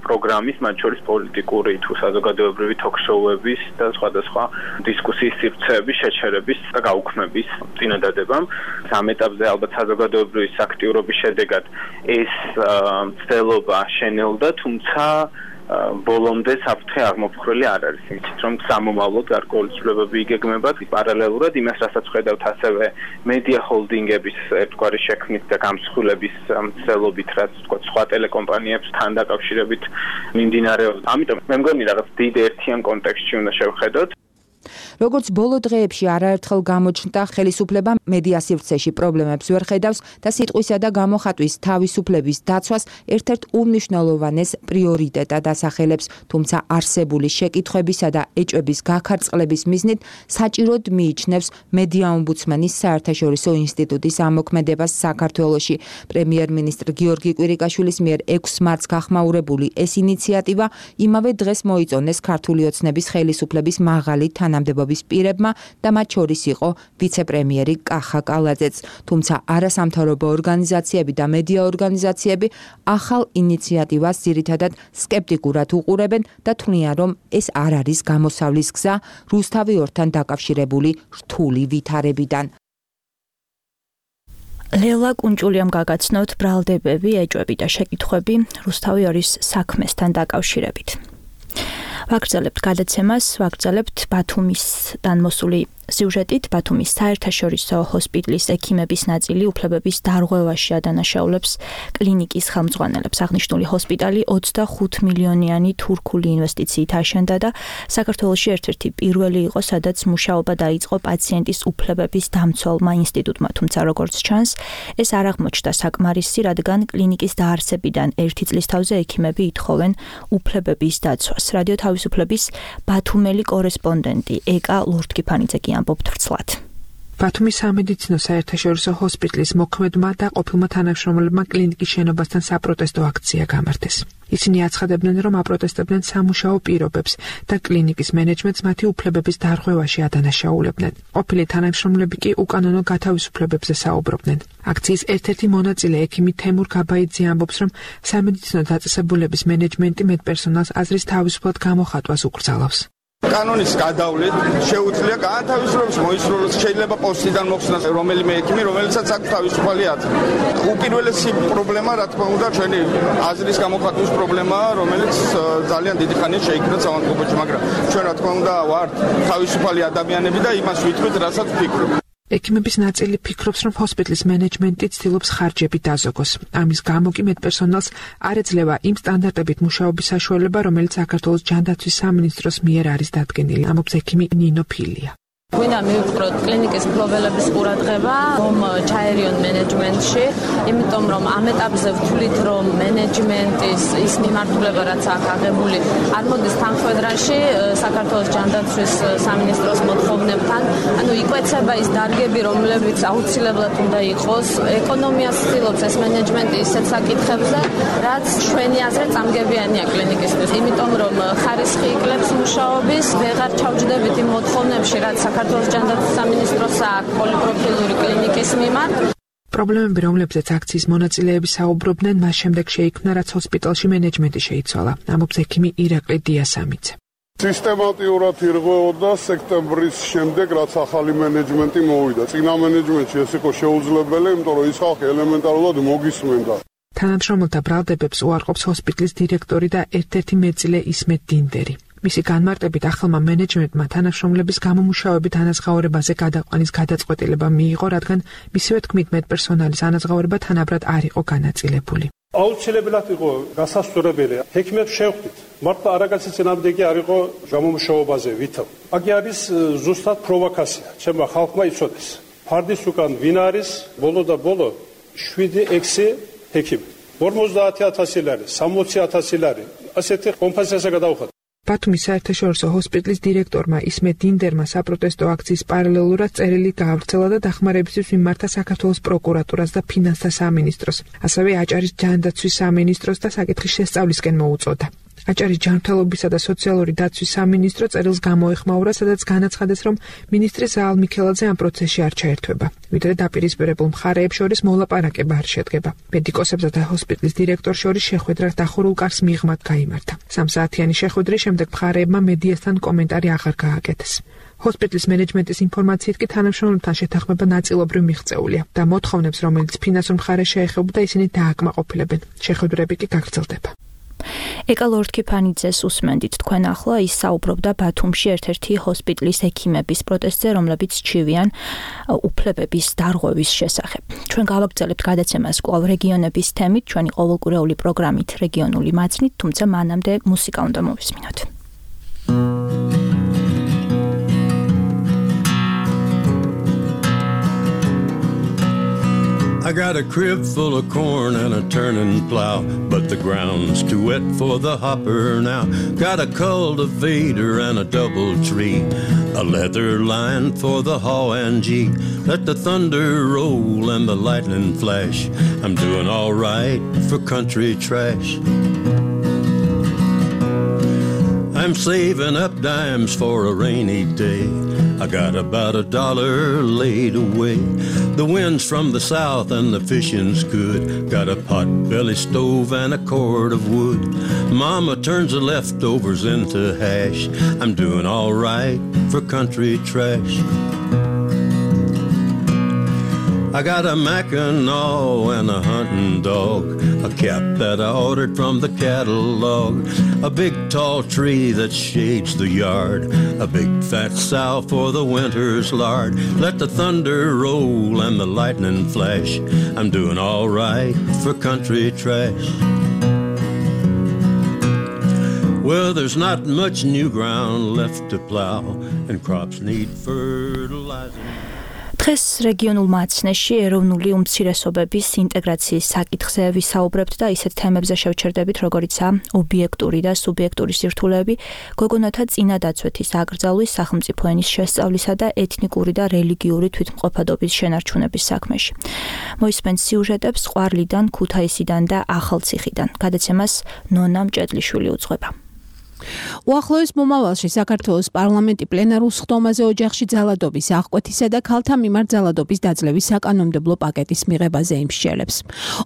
პროგრამის, მათ შორის პოლიტიკური თუ საზოგადოებრივი თოქ-შოუების და სხვადასხვა დისკუსიის სივრცეების შეჩერების და გაუქმების წინადადებამ. ამ ეტაპზე ალბათ საზოგადოებრივი აქტიურობის შედეგად ეს ცდელობა შენელდა, თუმცა ბოლომდე საფრთხე აღმოფხრილი არ არის, იმით რომ სამომავლოდ გარკვეული ცვლილებები იგეგმება პარალელურად იმას, რასაც ხედავთ ასევე მედია ჰოლდინგების ერთგვარი შექმნით და გამსხვილების ცდელობით, რაც თქვა სხვა ტელეკომპანიებთან დაკავშირებით მიმდინარეობს. ამიტომ მე მგონი რაღაც დიდ ერთიან კონტექსტში უნდა შევხედოთ. როგორც ბოლო დღეებში არაერთხელ გამოჩნდა, ხელისუფლება მედია სივრცეში პრობლემებს ვერ ხედავს და სიტყვისა და გამოხატვის თავისუფლების დაცვას ერთ-ერთ უმნიშვნელოვანეს პრიორიტეტად ასახელებს, თუმცა არსებული შეკითხვებისა და ეჭვების გაქარწყლების მიზნით საჭიროდ მიიჩნევს მედია ომბუდსმენის საერთაშორისო ინსტიტუტის ამოქმედებას საქართველოში. პრემიერ-მინისტრ გიორგი კვირიკაშვილის მიერ 6 მარტს გახმაურებული ეს ინიციატივა იმავე დღეს მოიწონეს ქართული ოცნების ხელისუფლების მაღალი თანამდებობის პირებმა და მათ შორის იყო ვიცე-პრემიერი კახა კალაძეც. თუმცა არასამთავრობო ორგანიზაციები და მედია ორგანიზაციები ახალ ინიციატივას ძირითადად სკეპტიკურად უყურებენ და თვლიან, რომ ეს არ არის გამოსავლის გზა რუსთავი 2-თან დაკავშირებული რთული ვითარებიდან. ლელა კუნჭულიამ გაგაცნოთ ბრალდებები, ეჭვები და შეკითხვები რუსთავი 2-ის საქმესთან დაკავშირებით. ვაგრძელებთ გადაცემას, ვაგრძელებთ ბათუმისთან მოსული სიუჟეტით. ბათუმის საერთაშორისო ჰოსპიტალის ექიმების ნაწილი უფლებების დარღვევაში ადანაშაულებს კლინიკის ხელმძღვანელებს. აღნიშნული ჰოსპიტალი 25 მილიონიანი თურქული ინვესტიციით აშენდა და საქართველოში ერთ-ერთი პირველი იყო, სადაც მუშაობა დაიწყო პაციენტის უფლებების დამცველმა ინსტიტუტმა. თუმცა როგორც ჩანს, ეს არ აღმოჩნდა საკმარისი, რადგან კლინიკის დაარსებიდან 1 წლის თავზე ექიმები ითხოვენ უფლებების დაცვას. რადიო თავისუფლების ბათუმელი კორესპონდენტი ეკა ლურთკიფანიძე ამბობთ ვრცლად. ბათუმის სამედიცინო საერთაშორისო ჰოსპიტალის მოქმედმა და ყოფილმა თანამშრომლებმა კლინიკის შენობასთან საპროტესტო აქცია გამართეს. ისინი აცხადებდნენ, რომ აპროტესტებდნენ სამუშაო პირობებს და კლინიკის მენეჯმენტს მათი უფლებების დარღვევაში ადანაშაულებდნენ. ყოფილი თანამშრომლები კი უკანონო გათავისუფლებებზე საუბრობდნენ. აქციის ერთ-ერთი მონაწილე ექიმი თემურ გაბაიძე ამბობს, რომ სამედიცინო დაწესებულების მენეჯმენტი მედპერსონალს აზრის თავისუფლად გამოხატვას უკრძალავს. კანონის გადავლით შეუძლია განთავისუფლებას მოისურვოს, შეიძლება პოსტიდან მოხსნას რომელიმე ექიმი, რომელიცაც აქვს თავისუფალი აზრი. უპირველესი პრობლემა, რა თქმა უნდა, ჩვენი აზრის გამოხატვის პრობლემაა, რომელიც ძალიან დიდი ხანია შეიქმნა სამართლებაში, მაგრამ ჩვენ რა თქმა უნდა ვართ თავისუფალი ადამიანები და იმას ვითვლით, რასაც ვფიქრობ. ექიმების ნაწილი ფიქრობს, რომ ჰოსპიტალის მენეჯმენტი ცდილობს ხარჯები დაზოგოს. ამის გამო კი მედპერსონალს არ ეძლევა იმ სტანდარტებით მუშაობის საშუალება, რომელიც საქართველოს ჯანდაცვის სამინისტროს მიერ არის დადგენილი. ამბობს ექიმი ნინო ფილია. გვინდა მივუყროთ კლინიკის მფლობელების ყურადღება რომ ჩაერიონ მენეჯმენტში, იმიტომ რომ ამ ეტაპზე ვთვლით, რომ მენეჯმენტის ის მიმართულება, რაც აქ აღებული, არ მოდის თანხმედრაში საქართველოს ჯანდაცვის სამინისტროს მოთხოვნებთან. ანუ იკვეცება ის დარგები, რომლებიც აუცილებლად უნდა იყოს. ეკონომიას ცდილობს ეს მენეჯმენტი ისეთ საკითხებზე, რაც ჩვენი აზრით წამგებიანია კლინიკისთვის. იმიტომ რომ ხარისხი იკლებს მუშაობის, ვეღარ ჩავჯდებით იმ მოთხოვნებში, რაც საქართველოს ჯანდაცვის სამინისტროს აქვს პოლიპროფილური კლინიკის მიმართ. პრობლემები, რომლებზეც აქციის მონაწილეები საუბრობდნენ, მას შემდეგ შეიქმნა, რაც ჰოსპიტალში მენეჯმენტი შეიცვალა. ამბობს ექიმი ირაკლი დიასამიძე. სისტემატიურად ირღვეოდა სექტემბრის შემდეგ, რაც ახალი მენეჯმენტი მოვიდა. წინა მენეჯმენტში ეს იყო შეუძლებელი, იმიტომ რომ ის ხალხი ელემენტარულად მოგისმენდა. თანამშრომელთა ბრალდებებს უარყოფს ჰოსპიტალის დირექტორი და ერთ-ერთი მეწილე ისმეთ დინდერი. მისი განმარტებით ახალმა მენეჯმენტმა თანამშრომლების გამომუშავებით ანაზღაურებაზე გადაყვანის გადაწყვეტილება მიიღო, რადგან მისივე თქმით მედპერსონალის ანაზღაურება თანაბრად არ იყო განაწილებული. აუცილებლად იყო გასასწორებელი. ექიმებს შევხვდით. მართლა არაგაცი წინამდებია არ იყო გამომუშავებაზე ვითომ. აქ არის ზუსტად პროვოკაცია. ჩემმა ხალხმა იცოდეს. ფარდის უკან ვინ არის, ბოლო და ბოლო 7-6 ექიმი. 50000 ლარი, 60000 ლარი. ასეთი კომპენსაცია გადავხატა. ბათუმის საერთაშორისო ჰოსპიტალის დირექტორმა ისმეთ დინდერმა საპროტესტო აქციის პარალელურად წერილი გაავრცელა და დახმარებისთვის მიმართა საქართველოს პროკურატურას და ფინანსთა სამინისტროს. ასევე აჭარის ჯანდაცვის სამინისტროს და საკითხის შესწავლისკენ მოუწოდა. აჭარის ჯანმრთელობისა და სოციალური დაცვის სამინისტრო წერილს გამოეხმაურა, სადაც განაცხადეს, რომ მინისტრი ზაალ მიქელაძე ამ პროცესში არ ჩაერთვება, ვიდრე დაპირისპირებულ მხარეებს შორის მოლაპარაკება არ შედგება. მედიკოსებსა და ჰოსპიტალის დირექტორს შორის შეხვედრა დახურულ კარს მიღმად გაიმართა. 3 საათიანი შეხვედრის შემდეგ მხარეებმა მედიასთან კომენტარი აღარ გააკეთეს. ჰოსპიტალის მენეჯმენტის ინფორმაციით კი თანამშრომლებთან შეთანხმება ნაწილობრივ მიღწეულია და მოთხოვნებს, რომელიც ფინანსურ მხარეს შეეხებოდა, ისინი დააკმაყოფილებენ. შეხვედრები კი გაგრძელდება. ეკა ლორდ კიფანიძეს უსმენდით თქვენ ახლა, ის საუბრობდა ბათუმში ერთ-ერთი ჰოსპიტალის ექიმების პროტესტზე, რომლებიც ჩივიან უფლებების დარღვევის შესახებ. ჩვენ გავაგრძელებთ გადაცემას კვლავ რეგიონების თემით, ჩვენი ყოველკვირეული პროგრამით რეგიონული მაცნით, თუმცა მანამდე მუსიკა უნდა მოვისმინოთ. I got a crib full of corn and a turning plow, but the ground's too wet for the hopper now. Got a cultivator and a double tree, a leather line for the haw and gee. Let the thunder roll and the lightning flash. I'm doing all right for country trash. I'm saving up dimes for a rainy day. I got about $1 laid away. The wind's from the south and the fishing's good. Got a pot-belly stove and a cord of wood. Mama turns the leftovers into hash. I'm doing all right for country trash. I got a Mackinaw and a hunting dog, a cap that I ordered from the catalog, a big tall tree that shades the yard, a big fat sow for the winter's lard. Let the thunder roll and the lightning flash. I'm doing all right for country trash. Well, there's not much new ground left to plow, and crops need fertilizer. დღეს რეგიონულ მაცნეში ეროვნული უმცირესობების ინტეგრაციის საკითხზე ვისაუბრებთ და ისეთ თემებზე შევჩერდებით, როგორიცაა ობიექტური და სუბიექტური სირთულეები, გოგონათა წინადაცვეთის აკრძალვის, სახელმწიფო ენის შესწავლისა და ეთნიკური და რელიგიური თვითმყოფადობის შენარჩუნების საქმეში. მოისმენთ სიუჟეტებს ყვარლიდან, ქუთაისიდან და ახალციხიდან. გადაცემას ნონა მჭედლიშვილი უძღვება. უახლოეს მომავალში საქართველოს პარლამენტი პლენარულ სხდომაზე ოჯახში ძალადობის აღკვეთისა და ქალთა მიმართ ძალადობის დაძლევის საკანონმდებლო პაკეტის მიღებაზე იმსჯელებს.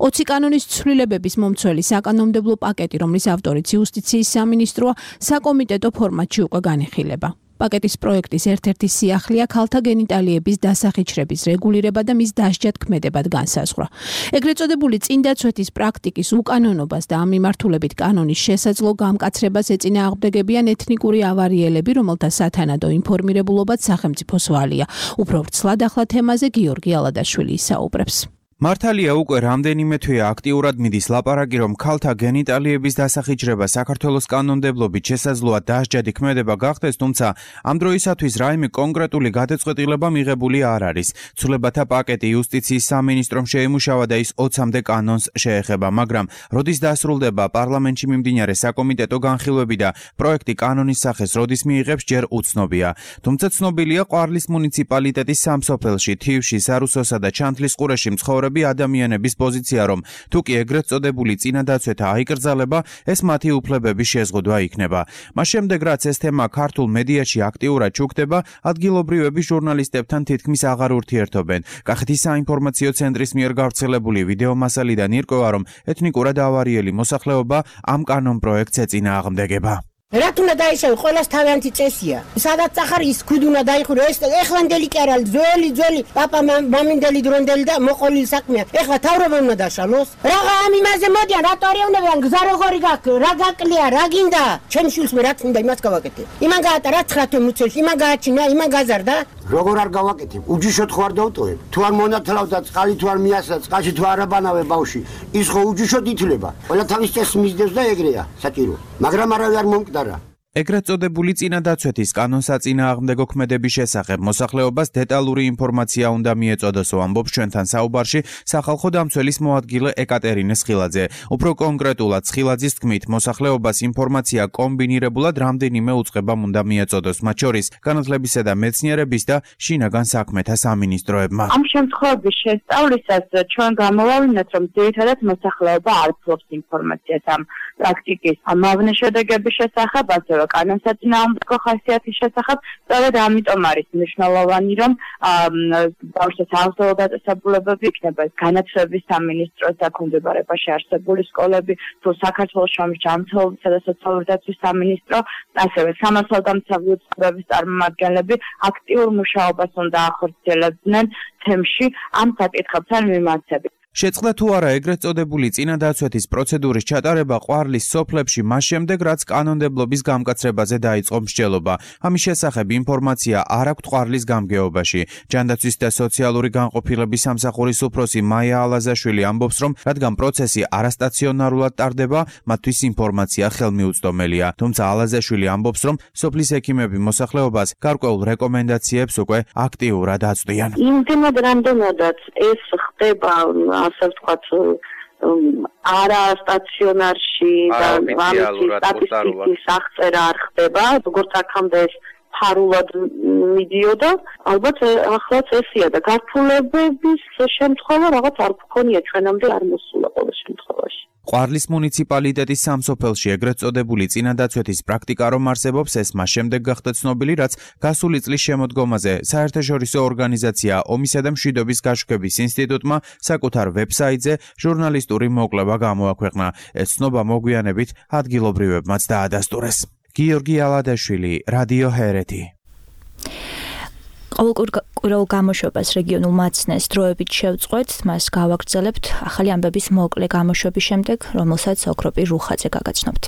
20 კანონის ცვლილებების მომცველი საკანონმდებლო პაკეტი, რომლის ავტორიც იუსტიციის სამინისტროა, საკომიტეტო ფორმატში უკვე განიხილება. პაკეტის პროექტის ერთ-ერთი სიახლეა ქალთა გენიტალიების დასახიჩრების რეგულირება და მის დასჯად ქმედებად განსაზღვრა. ეგრეთ წოდებული წინდაცვეთის პრაქტიკის უკანონობას და ამ მიმართულებით კანონის შესაძლო გამკაცრებას ეწინააღმდეგებიან ეთნიკური ავარიელები, რომელთა სათანადო ინფორმირებულობაც სახელმწიფოს ვალია. უფრო ვრცლად ახლა თემაზე გიორგი ალადაშვილი ისაუბრებს. მართალია უკვე რამდენიმე თვეა აქტიურად მიდის ლაპარაკი, რომ ქალთა გენიტალიების დასახიჩრება საქართველოს კანონმდებლობით შესაძლოა დასჯადი ქმედება გახდეს, თუმცა ამ დროისათვის რაიმე კონკრეტული გადაწყვეტილება მიღებული არ არის. ცვლილებათა პაკეტი იუსტიციის სამინისტრომ შეემუშავა და ის 20-მდე კანონს შეეხება, მაგრამ როდის დასრულდება პარლამენტში მიმდინარე საკომიტეტო განხილვები და პროექტი კანონის სახეს როდის მიიღებს, ჯერ უცნობია. თუმცა ცნობილია ყვარლის მუნიციპალიტეტის სამსოფელში, თივში, სარუსოსა და ჩანთლის ყურეში მცხოვრები ადამიანების პოზიცია, რომ თუ კი ეგრეთ წოდებული წინადაცვეთა აიკრძალება, ეს მათი უფლებების შეზღუდვა იქნება. მას შემდეგ, რაც ეს თემა ქართულ მედიაში აქტიურად ჩუქდება, ადგილობრივები ჟურნალისტებთან თითქმის აღარ ურთიერთობენ. კახეთის საინფორმაციო ცენტრის მიერ გავრცელებული ვიდეო მასალიდან ირკვევა, რომ ეთნიკურად ავარიელი მოსახლეობა ამ კანონ პროექტს ეწინააღმდეგება. რათ უნდა დაიშავო, ყველას თავიანთი წესია. სადაც ახარ ის ქუდი უნდა დაიხურო, ეს ეხლანდელი კი არ არის, ძველი პაპა მამინდელი დრონდელი და მოყოლილი საქმეა. ეხლა თავრობა უნდა დაშალოს. რაღა ამ იმაზე მოდიან, რატო არეუნებიან, გზა როგორი გაქვს, რა გაკლია, რა გინდა? ჩემ შვილს მე რაც უნდა იმას გავაკეთე. იმან გაატა რა 9 მუცელს, იმან გააჩინა, იმან გაზარდა. როგორ არ გავაკეთებ? უჯიშოდ ხო არ დავტოვებ? თუ არ მონათლავ და წყალი თუ არ მიასა, წყალში თუ არ აბანავე ბავში, ის ხო უჯიშოდ ითვლება. ყველა თავის წესს მისდევს და ეგრეა, საჭირო. მაგრამ არავინ არ მომკვდარა. ეგრეთ წოდებული წინადაცვეთის კანონსაწინააღმდეგო ქმედების შესახებ მოსახლეობას დეტალური ინფორმაცია უნდა მიეწოდოსო, ამბობს ჩვენთან საუბარში სახალხო დამცველის მოადგილე ეკატერინე სხილაძე. უფრო კონკრეტულად სხილაძის თქმით, მოსახლეობას ინფორმაცია კომბინირებულად რამდენიმე უწყებამ უნდა მიეწოდოს, მათ შორის განათლებისა და მეცნიერების და შინაგან საქმეთა სამინისტროებმა. ამ შემთხვევების შესწავლისას ჩვენ გამოვავინეთ, რომ ძირითადად მოსახლეობა არ ფლობს ინფორმაციას ამ პრაქტიკის ამავე შედეგების შესახებ, ასევე კანონსაწინააღმდეგო ხასიათის შესახებ, სწორედ ამიტომ არის მნიშვნელოვანი, რომ ბავშვთა საავადმყოფო დაწესებულებები იქნება განათლების სამინისტროს დაქვემდებარებაში არსებული სკოლები, თუ საქართველოს ჯანმრთელობისა და სოციალური დაცვის სამინისტრო, ასევე სამართალდამცავი უწყებების წარმომადგენლები აქტიურ მუშაობას უნდა ახორციელებდნენ თემში ამ საკითხებთან მიმართებით. შეწყდა თუ არა ეგრეთ წოდებული წინადაცვეთის პროცედურის ჩატარება ყვარლის სოფლებში მას შემდეგ, რაც კანონმდებლობის გამკაცრებაზე დაიწყო მსჯელობა. ამის შესახებ ინფორმაცია არ აქვთ ყვარლის გამგეობაში. ჯანდაცვის და სოციალური განყოფილების სამსახურის უფროსი მაია ალაზაშვილი ამბობს, რომ რადგან პროცესი არასტაციონარულად ტარდება, მათთვის ინფორმაცია ხელმიუწვდომელია. თუმცა ალაზაშვილი ამბობს, რომ სოფლის ექიმები მოსახლეობას გარკვეულ რეკომენდაციებს უკვე აქტიურად აწვდიან. იმდენად რამდენადაც ეს ხდება ასე ვთქვათ არა სტაციონარში და სტატისტიკის აღწერა არ ხდება, როგორც აქამდე ეს ფარულად მიდიოდა, ალბათ ახლაც ესია და გართულებების შემთხვევა რაღაც არ გქონია, ჩვენამდე არ მოსულა ყოველ შემთხვევაში. ყვარლის მუნიციპალიტეტის სამსოფელში ეგრეთ წოდებული წინადაცვეთის პრაქტიკა რომ არსებობს, ეს მას შემდეგ გახდა ცნობილი, რაც გასული წლის შემოდგომაზე საერთაშორისო ორგანიზაცია ომისა და მშვიდობის გაშუქების ინსტიტუტმა საკუთარ ვებსაიტზე ჟურნალისტური მოკვლევა გამოაქვეყნა. ეს ცნობა მოგვიანებით ადგილობრივებმაც დაადასტურეს. გიორგი ალადაშვილი, რადიო ჰერეთი. ყოველკვირეულ გამოშვებას რეგიონულ მაცნეს დროებით შევწყვეთ, მას გავაგრძელებთ ახალი ამბების მოკლე გამოშვების შემდეგ, რომელსაც ოქროპირ რუხაძე გაგაცნობთ.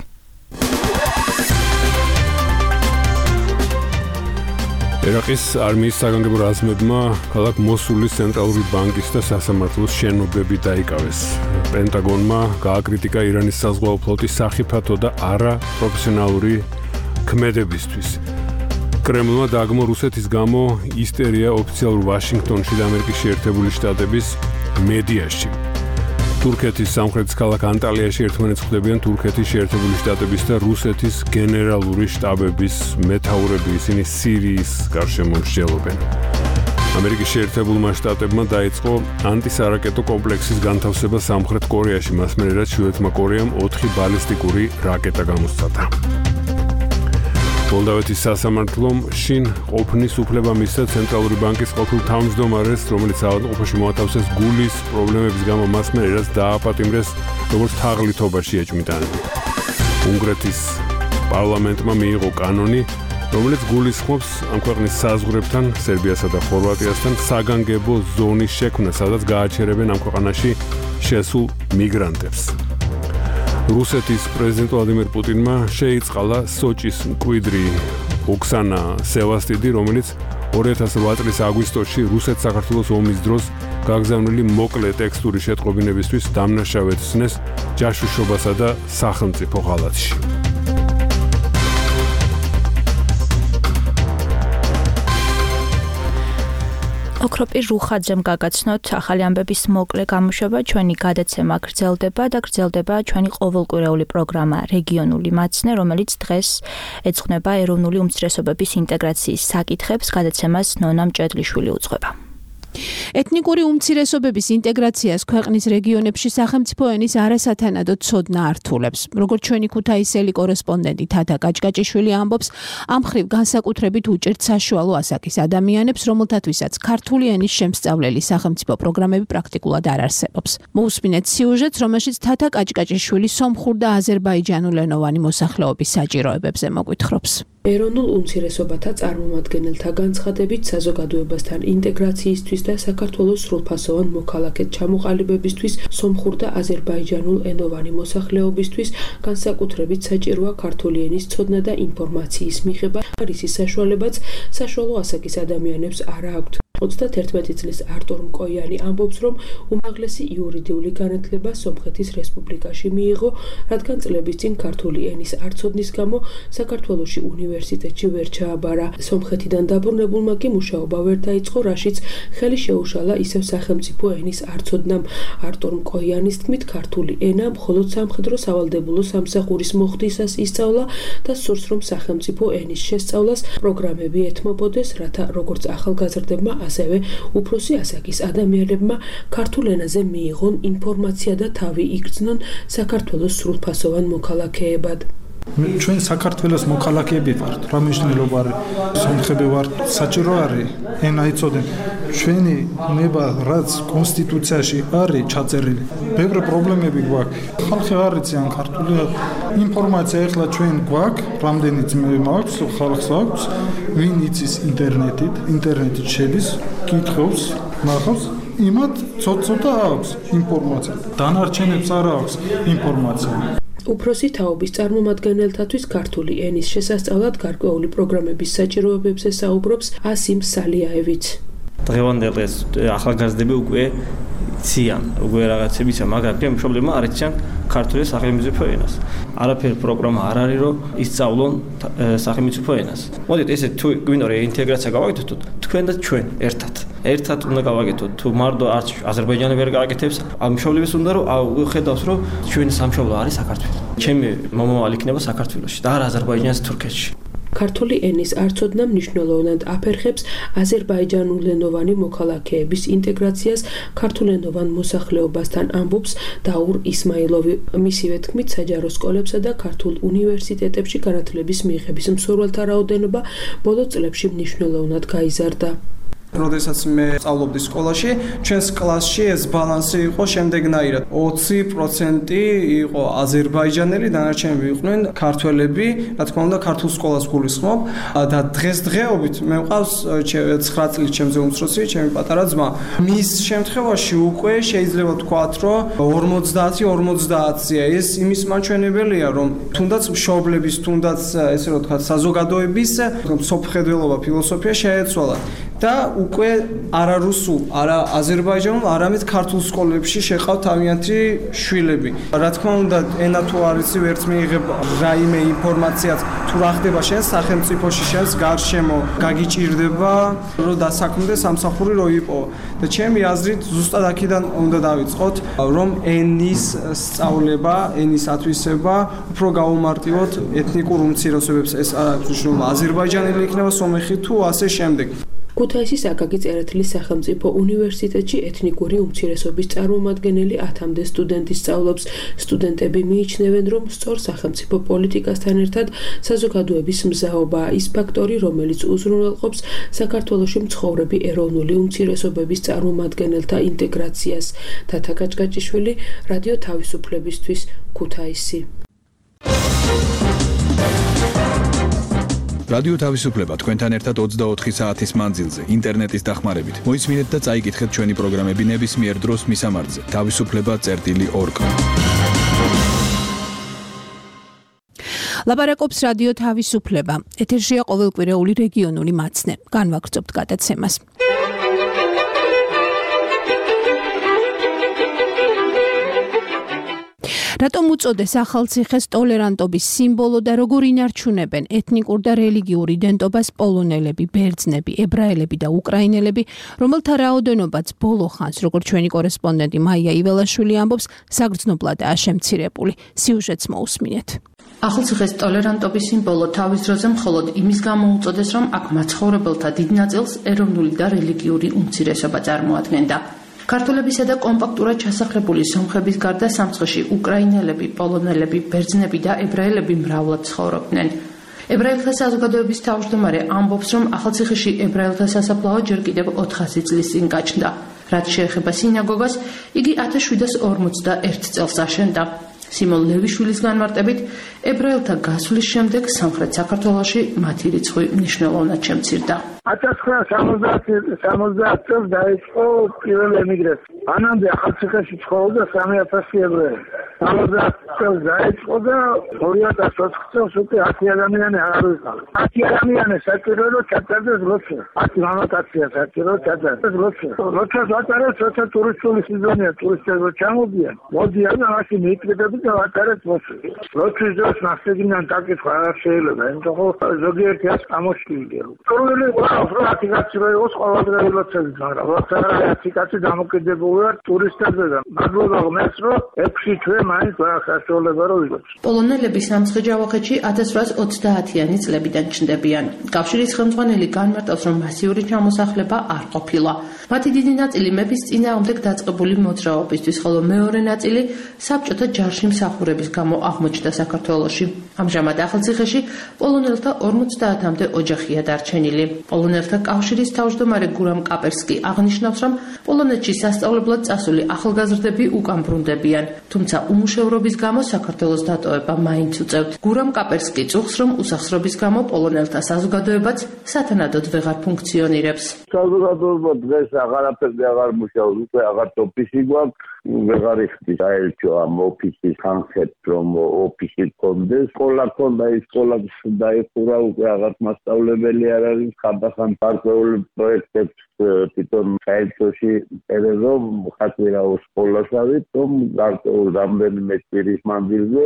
ერაყის არმიის საგანგებო რაზმებმა ქალაქ მოსულის ცენტრალური ბანკის და სასამართლოს შენობები დაიკავეს. პენტაგონმა გააკრიტიკა ირანის საზღვაო ფლოტის სახიფათო და არაპროფესიონალური ქმედებისთვის. კრემლმა დააგმო რუსეთის გამო ისტერია ოფიციალურ ვაშინგტონში და ამერიკის შეერთებული შტატების მედიაში. თურქეთის სამხრეთის ქალაქ ანტალიაში ერთმანეთს ხვდებიან თურქეთის შეერთებული შტატების და რუსეთის გენერალური შტაბების მეთაურები, ისინი სირიის გარშემო მსჯელობენ. ამერიკის შეერთებულმა შტატებმა დაიწყო ანტისარაკეტო კომპლექსის განთავსება სამხრეთ კორეაში, მას მერე რაც ჩრდილოეთმა კორეამ 4 ბალისტიკური რაკეტა გამოსცადა. მოლდავეთის სასამართლომ შინ ყოფნის უფლება მისცა ცენტრალური ბანკის ყოფილ თავმჯდომარეს, რომელიც ავადმყოფოში მოათავსეს გულის პრობლემების გამო, მას მერე რაც დააპატიმრეს როგორც თაღლითობაში ეჭვმიტანილი. უნგრეთის პარლამენტმა მიიღო კანონი, რომელიც გულისხმობს ამ ქვეყნის საზღვრებთან, სერბიასა და ხორვატიასთან საგანგებო ზონის შექმნა, სადაც გააჩერებენ ამ ქვეყანაში შესულ მიგრანტებს. რუსეთის პრეზიდენტ ვლადიმერ პუტინმა შეიწყალა სოჭის მკვიდრი ოქსანა სევასტიდი, რომელიც 2008 წლის აგვისტოში რუსეთ-საქართველოს ომის დროს გაგზავნილი მოკლე ტექსტური შეტყობინებისთვის დამნაშავედ ცნეს ჯაშუშობასა და სახელმწიფო ღალატში. ოქროპირ რუხაძემ გაგაცნოთ ახალი ამბების მოკლე გამოშვება, ჩვენი გადაცემა გრძელდება და გრძელდება ჩვენი ყოველკვირეული პროგრამა რეგიონული მაცნე, რომელიც დღეს ეძღვნება ეროვნული უმცირესობების ინტეგრაციის საკითხებს, გადაცემას ნონა მჭედლიშვილი უძღვება. ეთნიკური უმცირესობების ინტეგრაციას ქვეყნის რეგიონებში სახელმწიფო ენის არასათანადო ცოდნა ართულებს. როგორც ჩვენი ქუთაისელი კორესპონდენტი თათა კაჭკაჭიშვილი ამბობს, ამ მხრივ განსაკუთრებით უჭერთ საშუალო ასაკის ადამიანებს, რომელთათვისაც ქართული ენის შემსწავლელი სახელმწიფო პროგრამები პრაქტიკულად არ არსებობს. მოусმინეთ სიუჟეტს, რომელშიც თათა კაჭკაჭიშვილი სომხურ და აზერბაიჯანულენოვანი მოსახლეობის საჭიროებებზე მოგვითხრობს. ეროვნულ უმცირესობათა წარმომადგენელთა განცხადებით საზოგადოებასთან ინტეგრაციისთვის და საქართველოს სრულფასოვან მოქალაქედ ჩამოყალიბებისთვის სომხურ და აზერბაიჯანულ ენოვანი მოსახლეობისთვის განსაკუთრებით საჭიროა ქართული ენის ცოდნა და ინფორმაციის მიღება. არის ის საშუალებაც საშუალო ასაკის ადამიანებს არ აქვთ. 31 წლის არტურ მკოიანი ამბობს, რომ უმაღლესი იურიდიული განათლება სომხეთის რესპუბლიკაში მიიღო, რადგან წლების წინ ქართული ენის არცოდნის გამო საქართველოში უნივერსიტეტში ვერ ჩააბარა. სომხეთიდან დაბრუნებულმა კი მუშაობა ვერ დაიწყო, რაშიც ხელი შეუშალა ისევ სახელმწიფო ენის არცოდნამ. არტურ მკოიანის თქმით, ქართული ენა მხოლოდ სამხედრო სავალდებულო სამსახურის მოხდისას ისწავლა და სურს, რომ სახელმწიფო ენის შესწავლას პროგრამები ეთმობოდეს, რათა როგორც ახალგაზრდებმა, ასევე უფროსი ასაკის ადამიანებმა ქართულ ენაზე მიიღონ ინფორმაცია და თავი იგრძნონ საქართველოს სრულფასოვან მოქალაქეებად. ჩვენ საქართველოს მოქალაქეები ვართ, რა მნიშვნელობა არის? სომხები ვართ, საჭირო არის ენა იცოდენ. ჩვენი ნება რაც კონსტიტუციაში არის ჩაწერილი, ბევრი პრობლემები გვაქვს. ხალხი არ იციან ქართული ინფორმაცია ეხლა ჩვენ გვაქვს, რამდენი ძმე მაქვს, ხალხს აქვს, ვინ იცის ინტერნეტით შედის, კითხავს, ნახავს, იმათ ცოტა აქვს ინფორმაცია. დანარჩენებს არ აქვს ინფორმაცია. უფროსი თაობის წარმომადგენელთათვის ქართული ენის შესასწავლად გარკვეული პროგრამების საჭიროებებზე საუბრობს ასიმ სალიაევიც. დღევანდელ ეს ახალგაზრდები უკვე ციან, უკვე რაღაცებისა, მაგრამ მშობლებმა არ იციან ქართული სახელმწიფო ენას. არაფერი პროგრამა არ არის, რომ ისწავლონ სახელმწიფო ენას. მოდით ესე თუ გვინდა რომ ინტეგრაცია გავაკეთოთ, თქვენ და ჩვენ ერთად უნდა გავაკეთოთ. თუ მარტო არც აზერბაიჯანი ვერ გააკეთებს, ამ მშობლებს უნდა რომ ხედავს, რომ ჩვენი სამშობლო არის საქართველო. ჩემი მომავალი იქნება საქართველოში და არა აზერბაიჯანის თურქეთში. ქართული ენის არცოდნა მნიშვნელოვნად აფერხებს აზერბაიჯანულენოვანი მოქალაქეების ინტეგრაციას ქართულენოვან მოსახლეობასთან, ამბობს დაურ ისმაილოვი. მისივე თქმით, საჯარო სკოლებსა და ქართულ უნივერსიტეტებში განათლების მიღების მსურველთა რაოდენობა ბოლო წლებში მნიშვნელოვნად გაიზარდა. როდესაც მე სწავლობდი სკოლაში, ჩვენს კლასში ეს ბალანსი იყო შემდეგნაირად: 20% იყო აზერბაიჯანელი, დანარჩენები იყვნენ ქართველები, რა თქმა უნდა, ქართულ სკოლას გულისხმობ და დღესდღეობით მე მყავს 9 წლის ჩემზე უმცროსი, ჩემი პატარა ძმა. მის შემთხვევაში უკვე შეიძლება ვთქვათ, რომ 50-50-ია. ეს იმის მაჩვენებელია, რომ თუნდაც მშობლების, თუნდაც ესე რომ ვთქვათ, საზოგადოების მსოფლმხედველობა, ფილოსოფია შეეცვალა. და უკვე არა რუსულ, არა აზერბაიჯანულ, არამედ ქართულ სკოლებში შეყავ თავიანთი შვილები. რა თქმა უნდა, ენა თუ არის ვერც მიიღებ რაიმე ინფორმაციაც, თუ რა ხდება შენ სახელმწიფოში, შენს გარშემო, გაგიჭირდება, რომ დასაქმდეს სამსახური რო იყო. და ჩემი აზრით, ზუსტად აქედან უნდა დავიწყოთ, რომ ენის სწავლება, ენის ათვისება უფრო გაუმარტივოთ ეთნიკურ უმცირესობებს. ეს არ აქვს მნიშვნელობა, აზერბაიჯანელი იქნება, სომეხი თუ ასე შემდეგ. ქუთაისის აკაკი წერეთლის სახელმწიფო უნივერსიტეტში ეთნიკური უმცირესობის წარმომადგენელი 10-მდე სტუდენტი სწავლობს. სტუდენტები მიიჩნევენ, რომ სწორ სახელმწიფო პოლიტიკასთან ერთად საზოგადოების მზაობაა ის ფაქტორი, რომელიც უზრუნველყოფს საქართველოში მცხოვრები ეროვნული უმცირესობების წარმომადგენელთა ინტეგრაციას. თათა კაჭკაჭიშვილი, რადიო თავისუფლებისთვის, ქუთაისი. რადიო თავისუფლება თქვენთან ერთად 24 საათის მანძილზე ინტერნეტის დახმარებით. მოისმინეთ და წაიკითხეთ ჩვენი პროგრამები ნებისმიერ დროს მისამართზე თავისუფლება.org. ლაპარაკობს რადიო თავისუფლება. ეთერშია ყოველკვირეული რეგიონული მაცნე. განვაგრძობთ გადაცემას. რატომ უწოდეს ახალციხეს ტოლერანტობის სიმბოლო და როგორ ინარჩუნებენ ეთნიკურ და რელიგიურ იდენტობას პოლონელები, ბერძნები, ებრაელები და უკრაინელები, რომელთა რაოდენობაც ბოლო ხანს, როგორც ჩვენი კორესპონდენტი მაია იველაშვილი ამბობს, საგრძნობლადაა შემცირებული. სიუჟეტს მოусმინეთ. ახალციხეს ტოლერანტობის სიმბოლო თავის დროზე მხოლოდ იმის გამო უწოდეს, რომ აქ მაცხოვრებელთა დიდ ნაწილს ეროვნული და რელიგიური უმცირესობა წარმოადგენდა. ქართველებისა და კომპაქტურად ჩასახლებული სომხების გარდა სამცხეში უკრაინელები, პოლონელები, ბერძნები და ებრაელები მრავლად ცხოვრობდნენ. ებრაელთა საზოგადოების თავმჯდომარე ამბობს, რომ ახალციხეში ებრაელთა სასაფლაო ჯერ კიდევ 400 წლის წინ გაჩნდა. რაც შეეხება სინაგოგას, იგი 1741 წელს აშენდა. სიმონ ლევიშვილის განმარტებით, ებრაელთა გასვლის შემდეგ სამხრეთ საქართველოში მათი რიცხვი მნიშვნელოვნად შემცირდა. 1970 წელს დაიწყო პირველი ემიგრაცია. მანამდე ახალციხეში ცხოვრობდა 3000 ებრაელი. 70 დაიწყო და 2004 წელს უკვე 10 ადამიანი არ ვიყავ. 10 ადამიანი საჭირო რომ ჩაწერდეს როცა. 10 მამაკაცია საჭირო ჩაწერდეს როცა. როცა ვატარებს, როცა ტურისტული სეზონია, ტურისტები ჩამოდიან. მოდიან და მაშინ მიკრედები და ვატარებს მოსულ. როცა ძოს მასწავლებლიდან დაკითხვა არ შეიძლება, იმიტომ რომ ზოგიერთი ას გამოჩნდება. პრობლემა ყავს რომ აფიკაცი რო იყოს ყოველდღე რელოცები, მაგრამ როცა აფიკაცი დამოკიდებულია ტურისტებზე და მადლობა ღმერთს რომ 6 თვე მაინც აღსასრულება რო იყოს. პოლონელები სამცხე-ჯავახეთში 1830-იანი წლებიდან ჩნდებიან. კავშირის ხელმძღვანელი განმარტავს, რომ მასიური ჩამოსახლება არ ყოფილა. მათი დიდი ნაწილი მეფის წინააღმდეგ დაწყებული მოძრაობისთვის, ხოლო მეორე ნაწილი საბჭოთა ჯარში მსახურების გამო აღმოჩნდა საქართველოში. ამჟამად ახალციხეში პოლონელთა 50-მდე ოჯახია დარჩენილი. პოლონელთა კავშირის თავმჯდომარე გურამ კაპერსკი აღნიშნავს, რომ პოლონეთში სასწავლებლად წასული ახალგაზრდები უკან ბრუნდებიან, თუმცა უმუშევრობის გამო საქართველოს დატოვება მაინც უწევთ. გურამ კაპერსკი წუხს, რომ უსახსრობის გამო პოლონელთა საზოგადოებაც სათანადოდ ვეღარ ფუნქციონირებს. საზოგადოება დღეს აღარაფერზე აღარ მუშაობს, უკვე აღარ ოფისი გვაქვს. ვეღარ იხდის აერჩო ამ ოფისის თანხებს, რომ ოფისი კონდეს. სკოლა კონდა, ის სკოლა დაიხურა, უკვე აღარ მასწავლებელი არ არის. ხანდახან გარკვეული პროექტებს თვითონ საერთოში წერეო ხათვირაო სკოლაშავით, რომ გარკვეულ რამდენიმე კვირის მანძილზე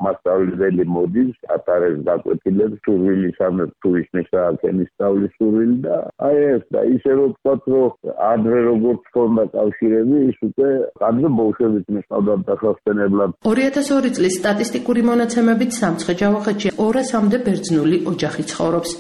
მასწავლებელი მოდის, ატარებს გაკვეთილებს, სურვილისამე თუ ისნისა აქენის სწავლის სურვილი და აი ეს და ისე რომ ვთქვათ, რომ ადრე როგორც ჰქონდა კავშირები, ის უკვე ადრე ბოლშევიკი მისწავდა დასასვენებლად. 2002 წლის სტატისტიკური მონაცემებით სამცხე-ჯავახეთში 200-მდე ბერძნული ოჯახი ცხოვრობს.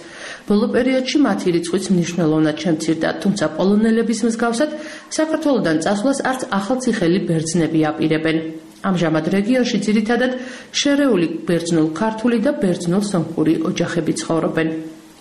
ბოლო პერიოდში მათი რიცხვიც მნიშვნელოვნად შემცირდა, თუმცა პოლონელების მსგავსად საქართველოდან წასვლას არც ახალციხელი ბერძნები აპირებენ. ამჟამად რეგიონში ძირითადად შერეული ბერძნულ-ქართული და ბერძნულ-სომხური ოჯახები ცხოვრობენ.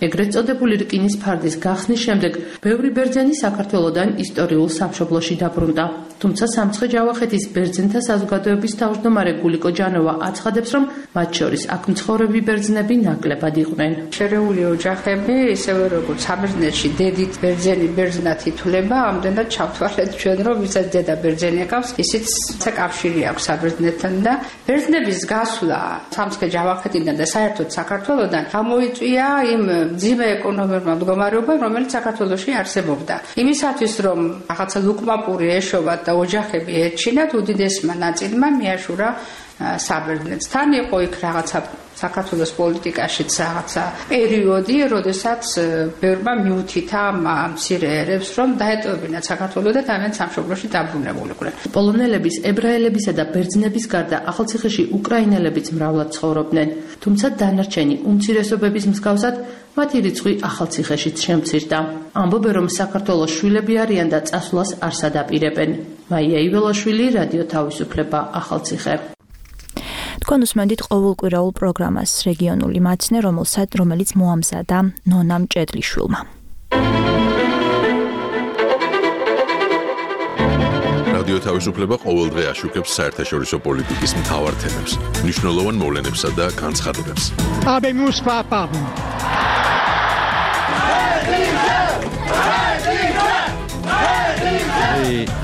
ეგრეთ წოდებული რკინის ფარდის გახსნის შემდეგ ბევრი ბერძენი საქართველოდან ისტორიულ სამშობლოში დაბრუნდა. თუმცა სამცხე-ჯავახეთის ბერძენთა საზოგადოების თავმჯდომარე გულიკო ჯანოვა აცხადებს, რომ მათ შორის აქ მცხოვრები ბერძნები ნაკლებად იყვნენ. შერეული ოჯახები, ისევე როგორც საბერძნეთში დედით ბერძენი ბერძნად ითვლება, ამდენად ჩავთვალეთ ჩვენ, რომ ვისაც დედა ბერძენი აკავს, ისიც საკავშირი აქვს საბერძნეთთან და ბერძნების გასვლა სამცხე-ჯავახეთიდან და საერთოდ საქართველოდან გამოიწვია იმ ძიმე ეკონომიკურ მდგომარეობამ, რომელიც საქართველოში არსებობდა. იმისათვის, რომ რაღაცა ლუკმაპური ეშოვათ და ოჯახები ერჩინათ, უდიდესმა ნაწილმა მიაშურა საბერძნეთს. თან იყო იქ რაღაცა საქართველოს პოლიტიკაშიც რაღაცა პერიოდი, როდესაც ბევრმა მიუთითა მცირე ერებს, რომ დაეტოვებინათ საქართველო და თავიანთ სამშობლოში დაბრუნებულიყვნენ. პოლონელების, ებრაელებისა და ბერძნების გარდა ახალციხეში უკრაინელებიც მრავლად ცხოვრობდნენ, თუმცა დანარჩენი უმცირესობების მსგავსად მათი რიცხვი ახალციხეშიც შემცირდა. ამბობენ, რომ საქართველოს შვილები არიან და წასვლას არ სადაპირებენ. მაია იველაშვილი, რადიო თავისუფლება, ახალციხე. თქვენ უსმენთ ყოველკვირაულ პროგრამას რეგიონული მაცნე, რომელიც მოამზადა ნონა მჭედლიშვილმა. რადიო თავისუფლება ყოველდღე აშუქებს საერთაშორისო პოლიტიკის მთავარ თემებს, მნიშვნელოვან მოვლენებსა და განცხადებებს.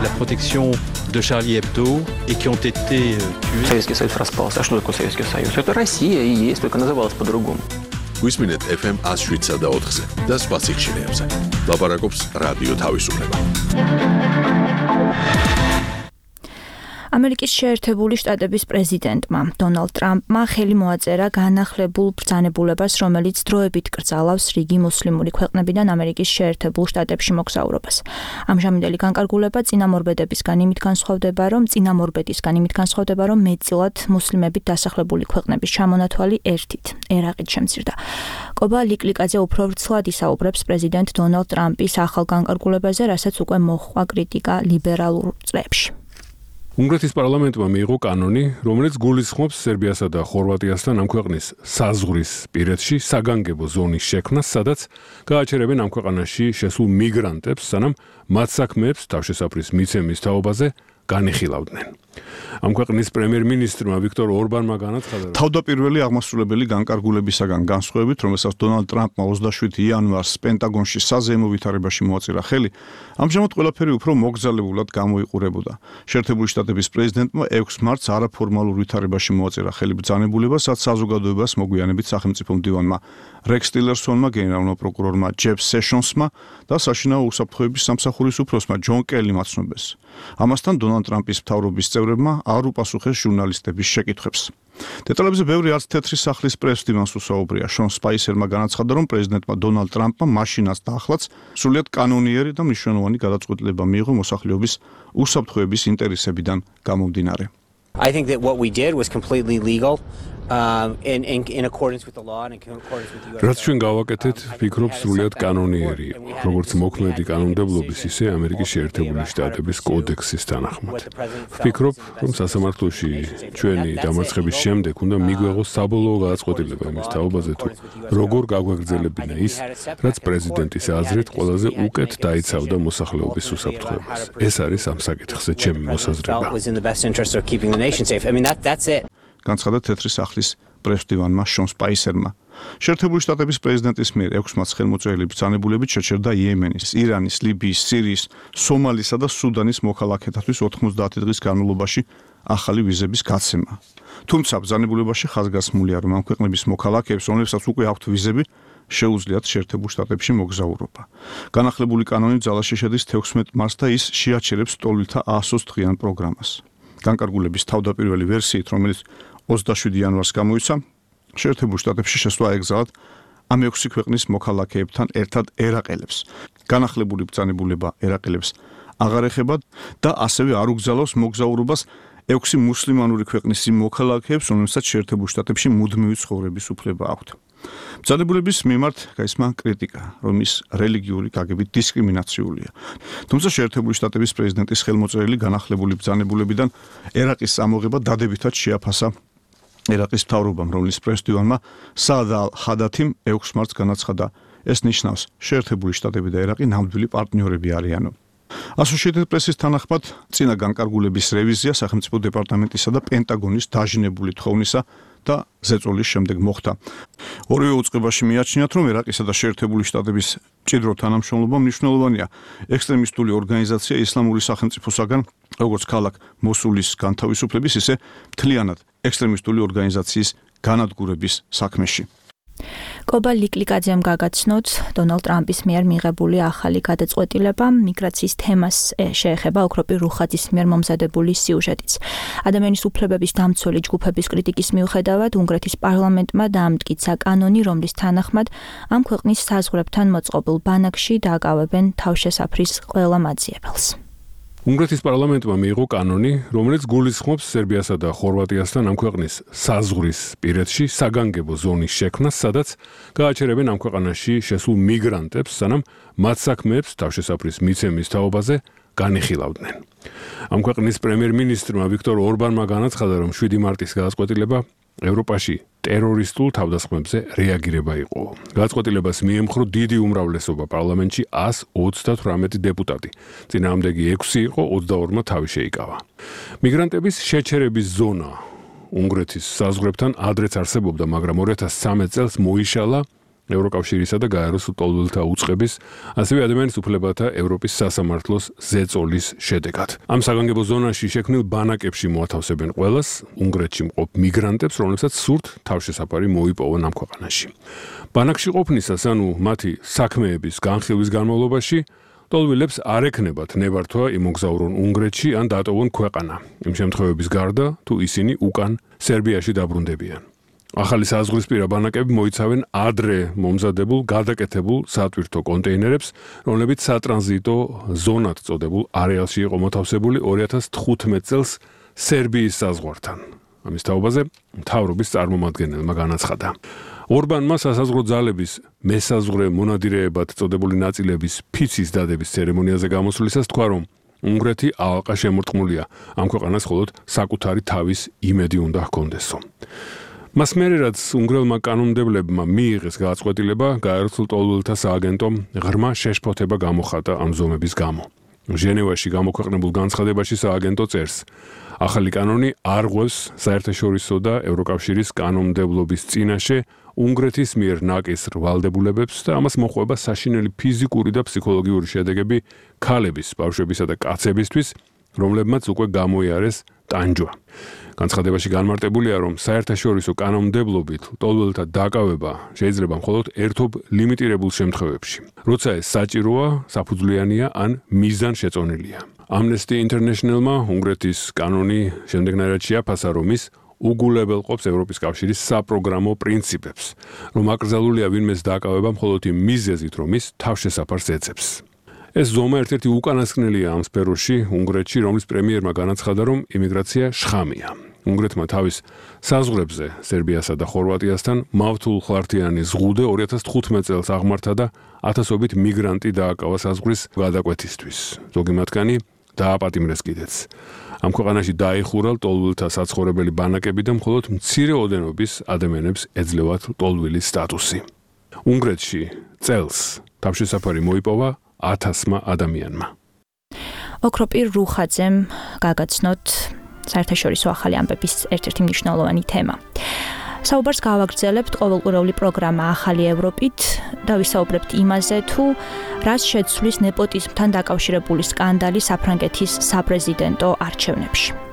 La protection de Charlie Hebdo et qui ont été tués. Советский Союз распался. А что такое Советский Союз? Это Россия и есть, только называлась по-другому. Висминет FM 107.4-ზე და სხვა სიხშირეებზე. ლაპარაკობს რადიო თავისუფლება. ამერიკის შეერთებული შტატების პრეზიდენტმა დონალდ ტრამპმა ხელი მოაწერა განახლებულ ბრძანებულებას, რომელიც დროებით კრძალავს რიგი მუსლიმური ქვეყნებიდან ამერიკის შეერთებულ შტატებში მოგზაურობას. ამჟამინდელი განკარგულება წინამორბედებისგან იმით განსხვავდება, რომ მეტწილად მუსლიმებით დასახლებული ქვეყნების ჩამონათვალი ერთით, ერაყით შემცირდა. კობა ლიკლიკაძე უფრო ვრცლად ისაუბრებს პრეზიდენტ დონალდ ტრამპის ახალ განკარგულებაზე, რასაც უკვე მოჰყვა კრიტიკა ლიბერალურ წრეებში. უნგრეთის პარლამენტმა მიიღო კანონი, რომელიც გულისხმობს სერბიასა და ხორვატიასთან ამ ქვეყნის საზღვრის პირეთში საგანგებო ზონის შექმნას, სადაც გააჩერებენ ამ ქვეყანაში შესულ მიგრანტებს, სანამ მათ საქმეებს თავშესაფრის მიცემის თაობაზე განიხილავდნენ. ამ ქვეყნის პრემიერ-მინისტრმა ვიქტორ ორბანმა განაცხადა, რომ თავდაპირველი აღმასრულებელი განკარგულებისაგან განსხვავებით, რომელსაც დონალდ ტრამპმა 27 იანვარს პენტაგონში საზეიმო ვითარებაში მოაწირა ხელი, ამჟამად ყველაფერი უფრო მოგზალებულად გამოიყურებოდა. შეერთებული შტატების პრეზიდენტმა 6 მარტს არაფორმალურ ვითარებაში მოაწირა ხელი ბრძანებულებას, რაც საზოგადოებას მოგვიანებით სახელმწიფო მდივანმა რექს ტილერსონმა, გენერალურმა პროკურორმა ჯეფ სეშონსმა და საშინაო უსაფრთხოების სამსახურის უფროსმა ჯონ კელიმ აცნობეს. ამასთან დონალდ ტრამპის მთავრობის წევრებმა არ უპასუხეს ჟურნალისტების შეკითხვებს. დეტალებზე ბევრი არც თეთრი სახლის პრეს-დივანს უსაუბრია. შონ სპაისერმა განაცხადა, რომ პრეზიდენტმა დონალდ ტრამპმა მაშინაც და ახლაც სრულიად კანონიერი და მნიშვნელოვანი გადაწყვეტილება მიიღო მოსახლეობის უსაფრთხოების ინტერესებიდან გამომდინარე. I think that what we did was completely legal. In accordance with the law and in accordance with the US. რაც ჩვენ გავაკეთეთ, ვფიქრობ სრულიად კანონიერი იყო, როგორც მოქმედი კანონმდებლობის, ისე ამერიკის შეერთებული შტატების კოდექსის თანახმად. ვფიქრობ, რომ სასამართლოში ჩვენი დამარცხების შემდეგ უნდა მიგვეღოს საბოლოო გადაწყვეტილება იმის თაობაზე, თუ როგორ გაგვაგრძელებინა ის, რაც პრეზიდენტის აზრით ყველაზე უკეთ დაიცავდა მოსახლეობის უსაფრთხოებას. ეს არის ამ საკითხზე ჩემი მოსაზრება. განცხადა თეთრი სახლის პრეს-დივანმა შონ სპაისერმა. შეერთებული შტატების პრეზიდენტის მიერ 6 მარტს ხელმოწერილი ბრძანებულებით შეჩერდა იემენის, ირანის, ლიბიის, სირიის, სომალისა და სუდანის მოქალაქეთათვის 90 დღის განმავლობაში ახალი ვიზების გაცემა. თუმცა ბრძანებულებაში ხაზგასმულია, რომ ამ ქვეყნების მოქალაქეებს, რომლებსაც უკვე აქვთ ვიზები, შეუძლიათ შეერთებულ შტატებში მოგზაურობა. განახლებული კანონი ძალაში შედის 16 მარტს და ის შეაჩერებს ტოლვილთა 120 დღიან პროგრამას. განკარგულების თავდაპირველი ვერსიით, რომელიც 27 იანვარს გამოიცა, შეერთებულ შტატებში შესვლა ეკრძალათ ამ 6 ქვეყნის მოქალაქეებთან ერთად ერაყელებს. განახლებული ბრძანებულება ერაყელებს აღარ ეხება და ასევე არ უგზავნოს მოგზაურობას 6 მუსლიმანური ქვეყნის იმ მოქალაქეებს, რომლებსაც შეერთებულ შტატებში მუდმივი ცხოვრების უფლება აქვთ. ბრძანებულების მიმართ გაისმა კრიტიკა, რომ ის რელიგიური გაგებით დისკრიმინაციულია. თუმცა შეერთებული შტატების პრეზიდენტის ხელმოწერილი განახლებული ბრძანებულებიდან ერაყის ამოღება დადებითად შეაფასა ერაყის მთავრობამ, რომლის პრეს-დივანმა საად ალ-ჰადათიმ 6 მარტს განაცხადა, ეს ნიშნავს, შეერთებული შტატები და ერაყი ნამდვილი პარტნიორები არიანო. Associated Press-ის თანახმად, წინა განკარგულების რევიზია სახელმწიფო დეპარტამენტისა და პენტაგონის დაჟინებული თხოვნისა და ზეწოლის შემდეგ მოხდა. ორივე უწყებაში მიაჩნიათ, რომ ერაყისა და შეერთებული შტატების მჭიდრო თანამშრომლობა მნიშვნელოვანია ექსტრემისტული ორგანიზაცია ისლამური სახელმწიფოსაგან, როგორც ქალაქ მოსულის განთავისუფლების, ისე მთლიანად ექსტრემისტული ორგანიზაციის განადგურების საქმეში. კობა ლიკლიკაძემ გაგაცნოთ დონალდ ტრამპის მიერ მიღებული ახალი გადაწყვეტილება მიგრაციის თემას შეეხება ოქროპირ რუხაძის მიერ მომზადებული სიუჟეტიც. ადამიანის უფლებების დამცველი ჯგუფების კრიტიკის მიუხედავად უნგრეთის პარლამენტმა დაამტკიცა კანონი, რომლის თანახმად ამ ქვეყნის საზღვრებთან მოწყობილ ბანაკში დააკავებენ თავშესაფრის ყველა მაძიებელს. უნგრეთის პარლამენტმა მიიღო კანონი, რომელიც გულისხმობს სერბიასა და ხორვატიასთან ამ ქვეყნის საზღვრის პირეთში საგანგებო ზონის შექმნას, სადაც გააჩერებენ ამ ქვეყანაში შესულ მიგრანტებს, სანამ მათ საქმეებს თავშესაფრის მიცემის თაობაზე განიხილავდნენ. ამ ქვეყნის პრემიერ-მინისტრმა ვიქტორ ორბანმა განაცხადა, რომ 7 მარტის გადაწყვეტილება ევროპაში ტერორისტულ თავდასხმებზე რეაგირება იყო. გადაწყვეტილებას მიემხრო დიდი უმრავლესობა პარლამენტში 138 დეპუტატი. წინააღმდეგი 6 იყო, 22-მა თავი შეიკავა. მიგრანტების შეჩერების ზონა უნგრეთის საზღვრებთან ადრეც არსებობდა, მაგრამ 2013 წელს მოიშალა ევროკავშირისა და გაეროს ტოლვილთა უწყების, ასევე ადამიანის უფლებათა ევროპის სასამართლოს ზეწოლის შედეგად. ამ საგანგებო ზონაში შექმნილ ბანაკებში მოათავსებენ ყველას უნგრეთში მყოფ მიგრანტებს, რომლებსაც სურთ თავშესაფარი მოიპოვონ ამ ქვეყანაში. ბანაკში ყოფნისას, ანუ მათი საქმეების განხილვის განმავლობაში, ტოლვილებს არ ექნებათ ნებართვა იმოგზაურონ უნგრეთში ან დატოვონ ქვეყანა. იმ შემთხვევების გარდა, თუ ისინი უკან სერბიაში დაბრუნდებიან. ახალი საზღვრისპირა ბანაკები მოიცავენ ადრე მომზადებულ გადაკეთებულ სატვირთო კონტეინერებს, რომლებიც სატრანზიტო ზონად წოდებულ არეალში იყო მოთავსებული 2015 წელს სერბიის საზღვართან. ამის თაობაზე მთავრობის წარმომადგენელმა განაცხადა. ორბანმა სასაზღვრო ძალების მესაზღვრე მონადირეებად წოდებული ნაწილების ფიცის დადების ცერემონიაზე გამოსვლისას თქვა, რომ უნგრეთი ალყა შემორტყმულია ამ ქვეყანას მხოლოდ საკუთარი თავის იმედი უნდა ჰქონდესო. მას მერე რაც უნგრელმა კანონმდებლებმა მიიღეს გადაწყვეტილება, გაეროს ტოლვილთა სააგენტომ ღრმა შეშფოთება გამოხატა ამ ზომების გამო. ჟენევაში გამოქვეყნებულ განცხადებაში სააგენტო წერს: ახალი კანონი არ ღვევს საერთაშორისო და ევროკავშირის კანონმდებლობის წინაშე უნგრეთის მიერ ნაკისრ ვალდებულებებს და ამას მოყვება საშინელი ფიზიკური და ფსიქოლოგიური შედეგები ქალების, ბავშვებისა და კაცებისთვის, რომლებმაც უკვე გამოიარეს ტანჯვა. განცხადებაში განმარტებულია, რომ საერთაშორისო კანონმდებლობით ლტოლვილთა დაკავება შეიძლება მხოლოდ ერთობ ლიმიტირებულ შემთხვევებში, როცა ეს საჭიროა, საფუძვლიანია ან მიზანშეწონილია. Amnesty International-მა უნგრეთის კანონი შემდეგნაირად შეაფასა, რომ ის უგულებელყოფს ევროპის კავშირის საპროგრამო პრინციპებს, რომ აკრძალულია ვინმეს დაკავება მხოლოდ იმ მიზეზით, რომ ის თავშესაფარს ეძებს. ეს ზომა ერთ-ერთი უკანასკნელია ამ სფეროში უნგრეთში, რომლის პრემიერმა განაცხადა, რომ იმიგრაცია შხამია. უნგრეთმა თავის საზღვრებზე სერბიასა და ხორვატიასთან მავთულხლართიანი ზღუდე 2015 წელს აღმართა და ათასობით მიგრანტი დააკავა საზღვრის გადაკვეთისთვის. ზოგი მათგანი დააპატიმრეს კიდეც. ამ ქვეყანაში დაიხურა ლტოლვილთა საცხოვრებელი ბანაკები და მხოლოდ მცირე ოდენობის ადამიანებს ეძლევათ ლტოლვილის სტატუსი. უნგრეთში წელს თავშესაფარი მოიპოვა 1000-მა ადამიანმა. ოქროპირ რუხაძემ გაგაცნოთ საერთაშორისო ახალი ამბების ერთ-ერთი მნიშვნელოვანი თემა. საუბარს გავაგრძელებთ ყოველკვირეული პროგრამა ახალი ევროპით და ვისაუბრებთ იმაზე, თუ რას შეცვლის ნეპოტიზმთან დაკავშირებული სკანდალი საფრანგეთის საპრეზიდენტო არჩევნებში.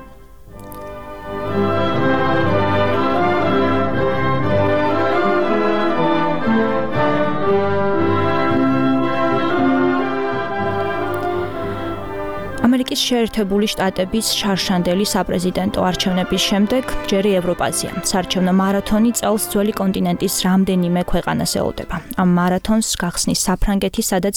ამერიკის შეერთებული შტატების შარშანდელი საპრეზიდენტო არჩევნების შემდეგ ჯერი ევროპაზია. საარჩევნო მარათონი წელს ძველი კონტინენტის რამდენიმე ქვეყანას ელოდება. ამ მარათონს გახსნის საფრანგეთი, სადაც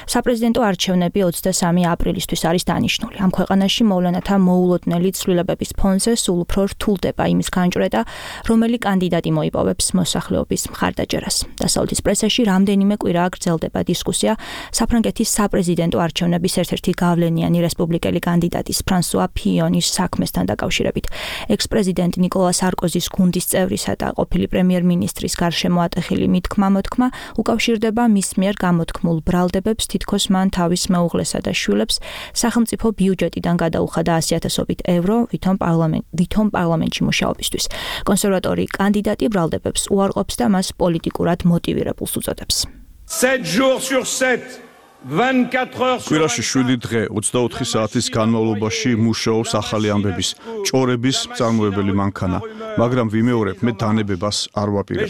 საპრეზიდენტო არჩევნები 23 აპრილისთვის არის დანიშნული. ამ ქვეყანაში მოვლენათა მოულოდნელი ცვლილებების ფონზე სულ უფრო რთულდება იმის განჭვრეტა, რომელი კანდიდატი მოიპოვებს მოსახლეობის მხარდაჭერას. დასავლეთის პრესაში რამდენიმე კვირაა გრძელდება დისკუსია საფრანგეთის საპრეზიდენტო არჩევნების ერთ-ერთი გავლენიანი რესპუბლიკელი კანდიდატის ფრანსუა ფიონის საქმესთან დაკავშირებით. ექს-პრეზიდენტ ნიკოლა სარკოზის გუნდის წევრისა და ყოფილი პრემიერ-მინისტრის გარშემო ატეხილი მითქმა-მოთქმა უკავშირდება მის მიერ გამოთქმულ ბრალდებებს, თითქოს მან თავის მეუღლესა და შვილებს სახელმწიფო ბიუჯეტიდან გადაუხადა 100,000-ობით ევრო ვითომ პარლამენტში მუშაობისთვის. კონსერვატორი კანდიდატი ბრალდებებს უარყოფს და მას პოლიტიკურად მოტივირებულს უწოდებს. 7 jours sur 7 კვირაში 7 დღე 24 საათის განმავლობაში მუშაობს ახალი ამბების ჭორების მწარმოებელი მანქანა, მაგრამ ვიმეორებ, მე დანებებას არ ვაპირებ.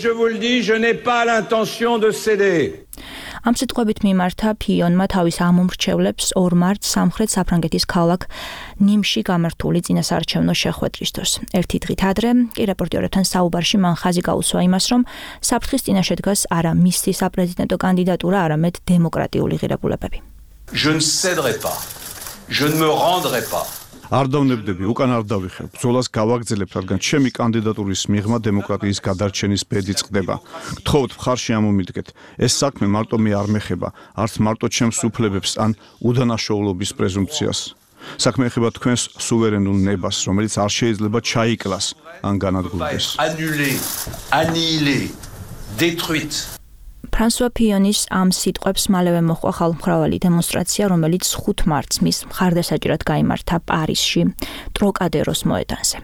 ამ სიტყვებით მიმართა ფიონმა თავის ამომრჩევლებს 2 მარტს სამხრეთ საფრანგეთის ქალაქ ნიმში გამართული წინასაარჩევნო შეხვედრის დროს. ერთი დღით ადრე კი რეპორტერებთან საუბარში მან ხაზი გაუსვა იმას, რომ საფრთხის წინაშე დგას არა მისი საპრეზიდენტო კანდიდატურა, არამედ დემოკრატიული ღირებულებები. Je ne céderai pas. Je ne me rendrai pas. არ დავნებდები, უკან არ დავიხებ. ბრძოლას გავაგრძელებ, რადგან ჩემი კანდიდატურის მიღმა დემოკრატიის გადარჩენის ბედი წყდება. გთხოვთ, მხარში ამომიდგეთ. ეს საქმე მარტო მე არ მეხება, არც მარტო ჩემს უფლებებს ან უდანაშაულობის პრეზუმპციას. საქმე ეხება თქვენს სუვერენულ ნებას, რომელიც არ შეიძლება ჩაიკლას ან განადგურდეს. Annihilé, détruite. ფრანსუა ფიონის ამ სიტყვებს მალევე მოჰყვა ხალხმრავალი დემონსტრაცია, რომელიც 5 მარტს მის მხარდასაჭირად გაიმართა პარიზში, ტროკადეროს მოედანზე.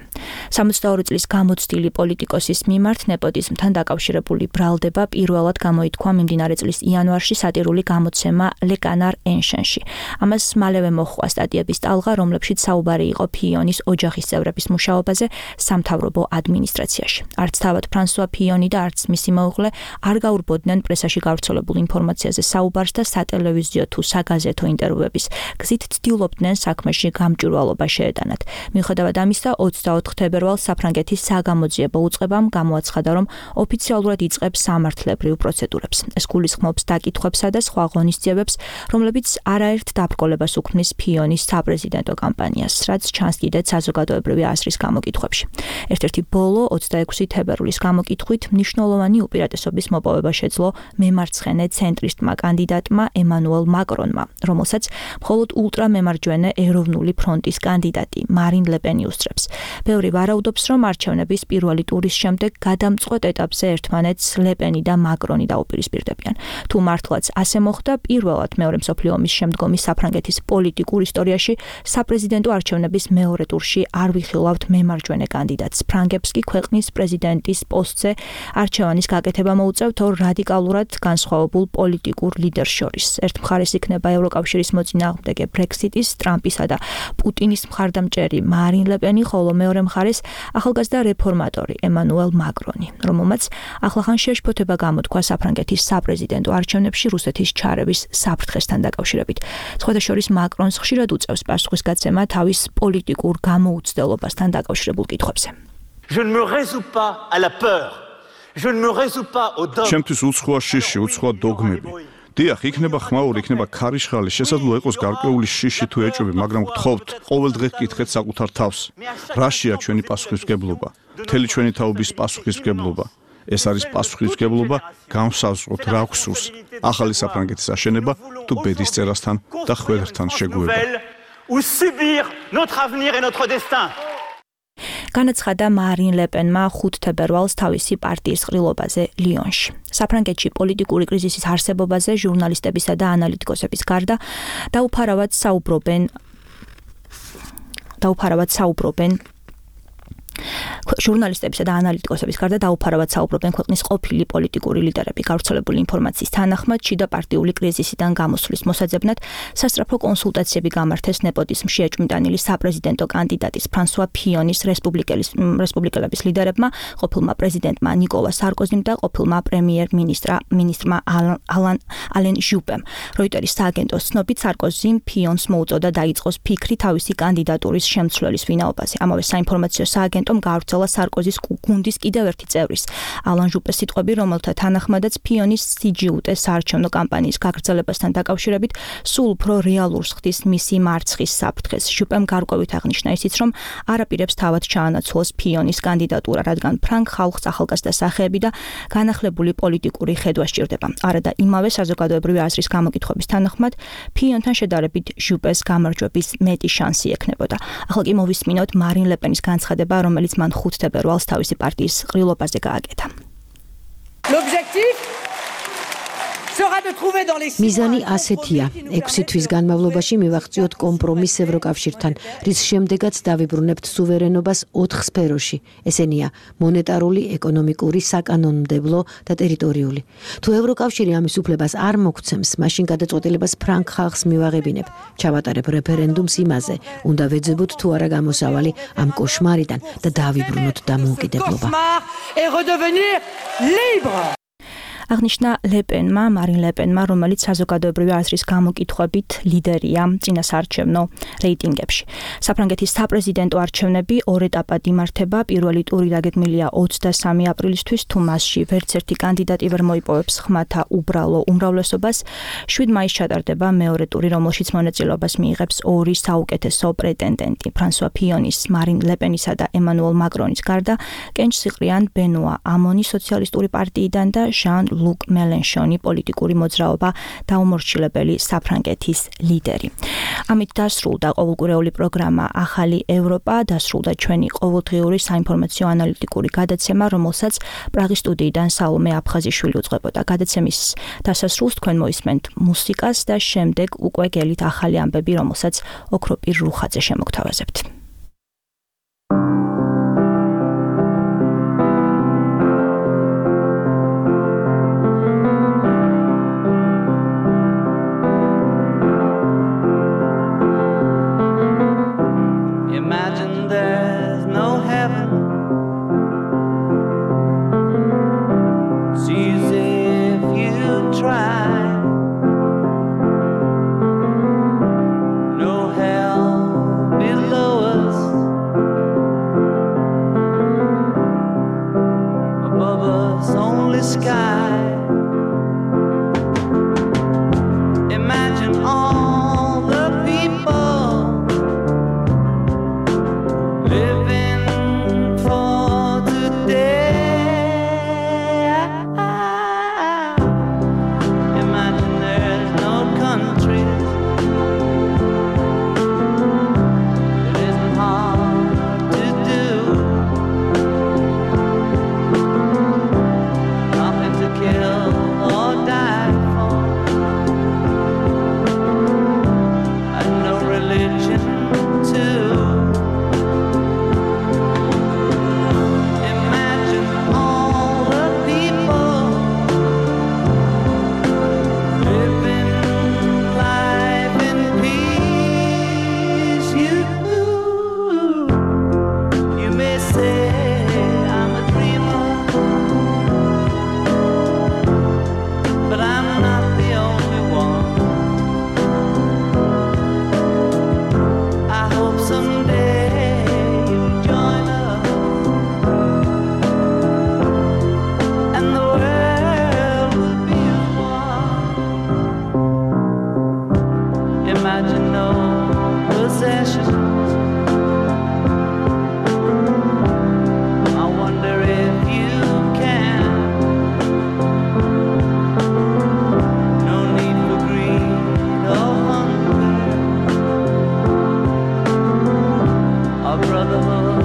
62 წლის გამოცდილი პოლიტიკოსის მიმართ ნეპოტიზმთან დაკავშირებული ბრალდება პირველად გამოითქვა მიმდინარე წლის იანვარში სატირული გამოცემა Le Canard Enchaîné-ში. ამას მალევე მოჰყვა სტატიების ტალღა, რომლებშიც საუბარი იყო ფიონის ოჯახის წევრების მუშაობაზე სამთავრობო ადმინისტრაციაში. არც თავად ფრანსუა ფიონი და არც მისი მეუღლე არ გაურბოდნენ პრესაში გავრცელებულ ინფორმაციაზე საუბარს და სატელევიზიო თუ საგაზეთო ინტერვიუების გზით ცდილობდნენ საქმეში გამჭვირვალობა შეეტანათ. მიუხედავად ამისა, 24 თებერვალს საფრანგეთის საგამოძიებო უწყებამ გამოაცხადა, რომ ოფიციალურად იწყებს სამართლებრივ პროცედურებს. ეს გულისხმობს დაკითხვებსა და სხვა ღონისძიებებს, რომლებიც არაერთ დაბრკოლებას უქმნის ფიონის საპრეზიდენტო კამპანიას, რაც ჩანს კიდეც საზოგადოებრივი აზრის გამოკითხვებში. ერთ-ერთი ბოლო 26 თებერვლის გამოკითხვით მნიშვნელოვანი უპირატესობის მოპოვება შეძლო მემარცხენე ცენტრისტმა კანდიდატმა ემანუელ მაკრონმა, რომელსაც მხოლოდ ულტრამემარჯვენე ეროვნული ფრონტის კანდიდატი მარინ ლე პენი უსწრებს. ბევრი ვარაუდობს, რომ არჩევნების პირველი ტურის შემდეგ გადამწყვეტ ეტაპზე ერთმანეთს ლეპენი და მაკრონი დაუპირისპირდებიან. თუ მართლაც ასე მოხდა, პირველად მეორე მსოფლიო ომის შემდგომი საფრანგეთის პოლიტიკურ ისტორიაში საპრეზიდენტო არჩევნების მეორე ტურში არ ვიხილავთ მემარჯვენე კანდიდატს. ფრანგებს კი ქვეყნის პრეზიდენტის პოსტზე არჩევანის გაკეთება მოუწევთ ორ რადიკალურად განსხვავებულ პოლიტიკურ ლიდერს შორის. ერთ მხარეს იქნება ევროკავშირის მოწინააღმდეგე ბრექსიტის, ტრამპისა და პუტინის მხარდამჭერი მარინ ლეპენი, ხოლო მეორე მხარეს ახალგაზრდა რეფორმატორი ემანუელ მაკრონი, რომელმაც ახლახან შეშფოთება გამოთქვა საფრანგეთის საპრეზიდენტო არჩევნებში რუსეთის ჩარევის საფრთხესთან დაკავშირებით. სხვადასხვა მაკრონს ხშირად უწევს პასუხისგაცემა თავის პოლიტიკურ გამოუცდელობასთან დაკავშირებულ კითხვებზე. Je ne me résous pas à la peur. Je ne me résous pas au dogme. ჩემთვის უცხოა შიში, უცხოა დოგმები. დიახ, იქნება ხმაური, იქნება ქარიშხალი, შესაძლოა იყოს გარკვეული შიში თუ ეჭვები, მაგრამ გთხოვთ, ყოველდღე გკითხეთ საკუთარ თავს, რაშია ჩვენი პასუხისმგებლობა? მთელი ჩვენი თაობის პასუხისმგებლობა. ეს არის პასუხისმგებლობა განსაზღვროთ რა გვსურს, ახალი საფრანგეთის აშენება თუ ბედის წერასთან და ხველერთან შეგუება. Ou subir notre avenir et notre destin. განაცხადა მარინ ლეპენმა 5 თებერვალს თავისი პარტიის ყრილობაზე ლიონში. საფრანგეთში პოლიტიკური კრიზისის არსებობაზე ჟურნალისტებისა და ანალიტიკოსების გარდა დაუფარავად საუბრობენ ჟურნალისტებისა და ანალიტიკოსების გარდა დაუფარავად საუბრობენ ქვეყნის ყოფილი პოლიტიკური ლიდერები. გავრცელებული ინფორმაციის თანახმად შიდა პარტიული კრიზისიდან გამოსვლის მოსაძებნად სასწრაფო კონსულტაციები გამართეს ნეპოტიზმში ეჭვმიტანილი საპრეზიდენტო კანდიდატის ფრანსუა ფიონის რესპუბლიკელების ლიდერებმა, ყოფილმა პრეზიდენტმა ნიკოლა სარკოზიმ და ყოფილმა პრემიერ-მინისტრმა ალენ ჟუპემ. როიტერის სააგენტოს ცნობით სარკოზიმ ფიონს მოუწოდა დაიწყოს ფიქრი თავისი კანდიდატურის შემცვლელის ვინაობაზე. ამავე საინფორმაციო სააგენტომ გავრცელა სარკოზის გუნდის კიდევ ერთი წევრის ალან ჟუპეს სიტყვები, რომელთა თანახმადაც ფიონის CGUT საარჩევნო კამპანიის გაგრძელებასთან დაკავშირებით სულ უფრო რეალურს ხდის მისი მარცხის საფრთხეს. ჟუპემ გარკვევით აღნიშნა ისიც, რომ არაპირებს თავად ჩაანაცვლოს ფიონის კანდიდატურა, რადგან ფრანგ ხალხს ახალგაზრდა სახეები და განახლებული პოლიტიკური ხედვა სჭირდება. არა და იმავე საზოგადოებრივი აზრის გამოკითხვების თანახმად ფიონთან შედარებით ჟუპეს გამარჯვების მეტი შანსი ექნებოდა. ახლა კი მოვისმინოთ მარინ ლეპენის განცხადება, რომელიც მან 5 თებერვალს თავისი პარტიის ყრილობაზე გააკეთა. მიზანი ასეთია: 6 თვის განმავლობაში მივაღწიოთ კომპრომისს ევროკავშირთან, რის შემდეგაც დავიბრუნებთ სუვერენობას 4 სფეროში. ესენია: მონეტარული, ეკონომიკური, საკანონმდებლო და ტერიტორიული. თუ ევროკავშირი ამის უფლებას არ მოგცემს, მაშინ გადაწყვეტილებას ფრანგ ხალხს მივაღებინებ. ჩავატარებ რეფერენდუმს იმაზე, უნდა ვეძებოთ თუ არა გამოსავალი ამ კოშმარიდან და დავიბრუნოთ დამოუკიდებლობა. აღნიშნა ლეპენმა, მარინ ლეპენმა, რომელიც საზოგადოებრივი აზრის გამოკითხვებით ლიდერია წინასაარჩევნო რეიტინგებში. საფრანგეთის საპრეზიდენტო არჩევნები 2 ეტაპად იმართება. პირველი ტური დაგეგმილია 23 აპრილისთვის, თუ მასში ვერც ერთი კანდიდატი ვერ მოიპოვებს ხმათა უბრალო უმრავლესობას. 7 მაისს ჩატარდება მეორე ტური, რომელშიც მონაწილეობას მიიღებს ორი საუკეთესო პრეტენდენტი: ფრანსუა ფიონის, მარინ ლეპენისა და ემანუელ მაკრონის გარდა, კენჭს იყრიან ბენუა ამონი სოციალისტური პარტიიდან და ჟან ლუკ მელენშონი, პოლიტიკური მოძრაობა დაუმორჩილებელი საფრანგეთის ლიდერი. ამით დასრულდა ყოველკვირეული პროგრამა ახალი ევროპა, დასრულდა ჩვენი ყოველდღიური საინფორმაციო ანალიტიკური გადაცემა, რომელსაც პრაღის სტუდიიდან სალომე აფხაზიშვილი უძღვებოდა. გადაცემის დასასრულს თქვენ მოისმენთ მუსიკას და შემდეგ უკვე გელით ახალი ამბები, რომელსაც ოქროპირ რუხაძე შემოგთავაზებთ. brother.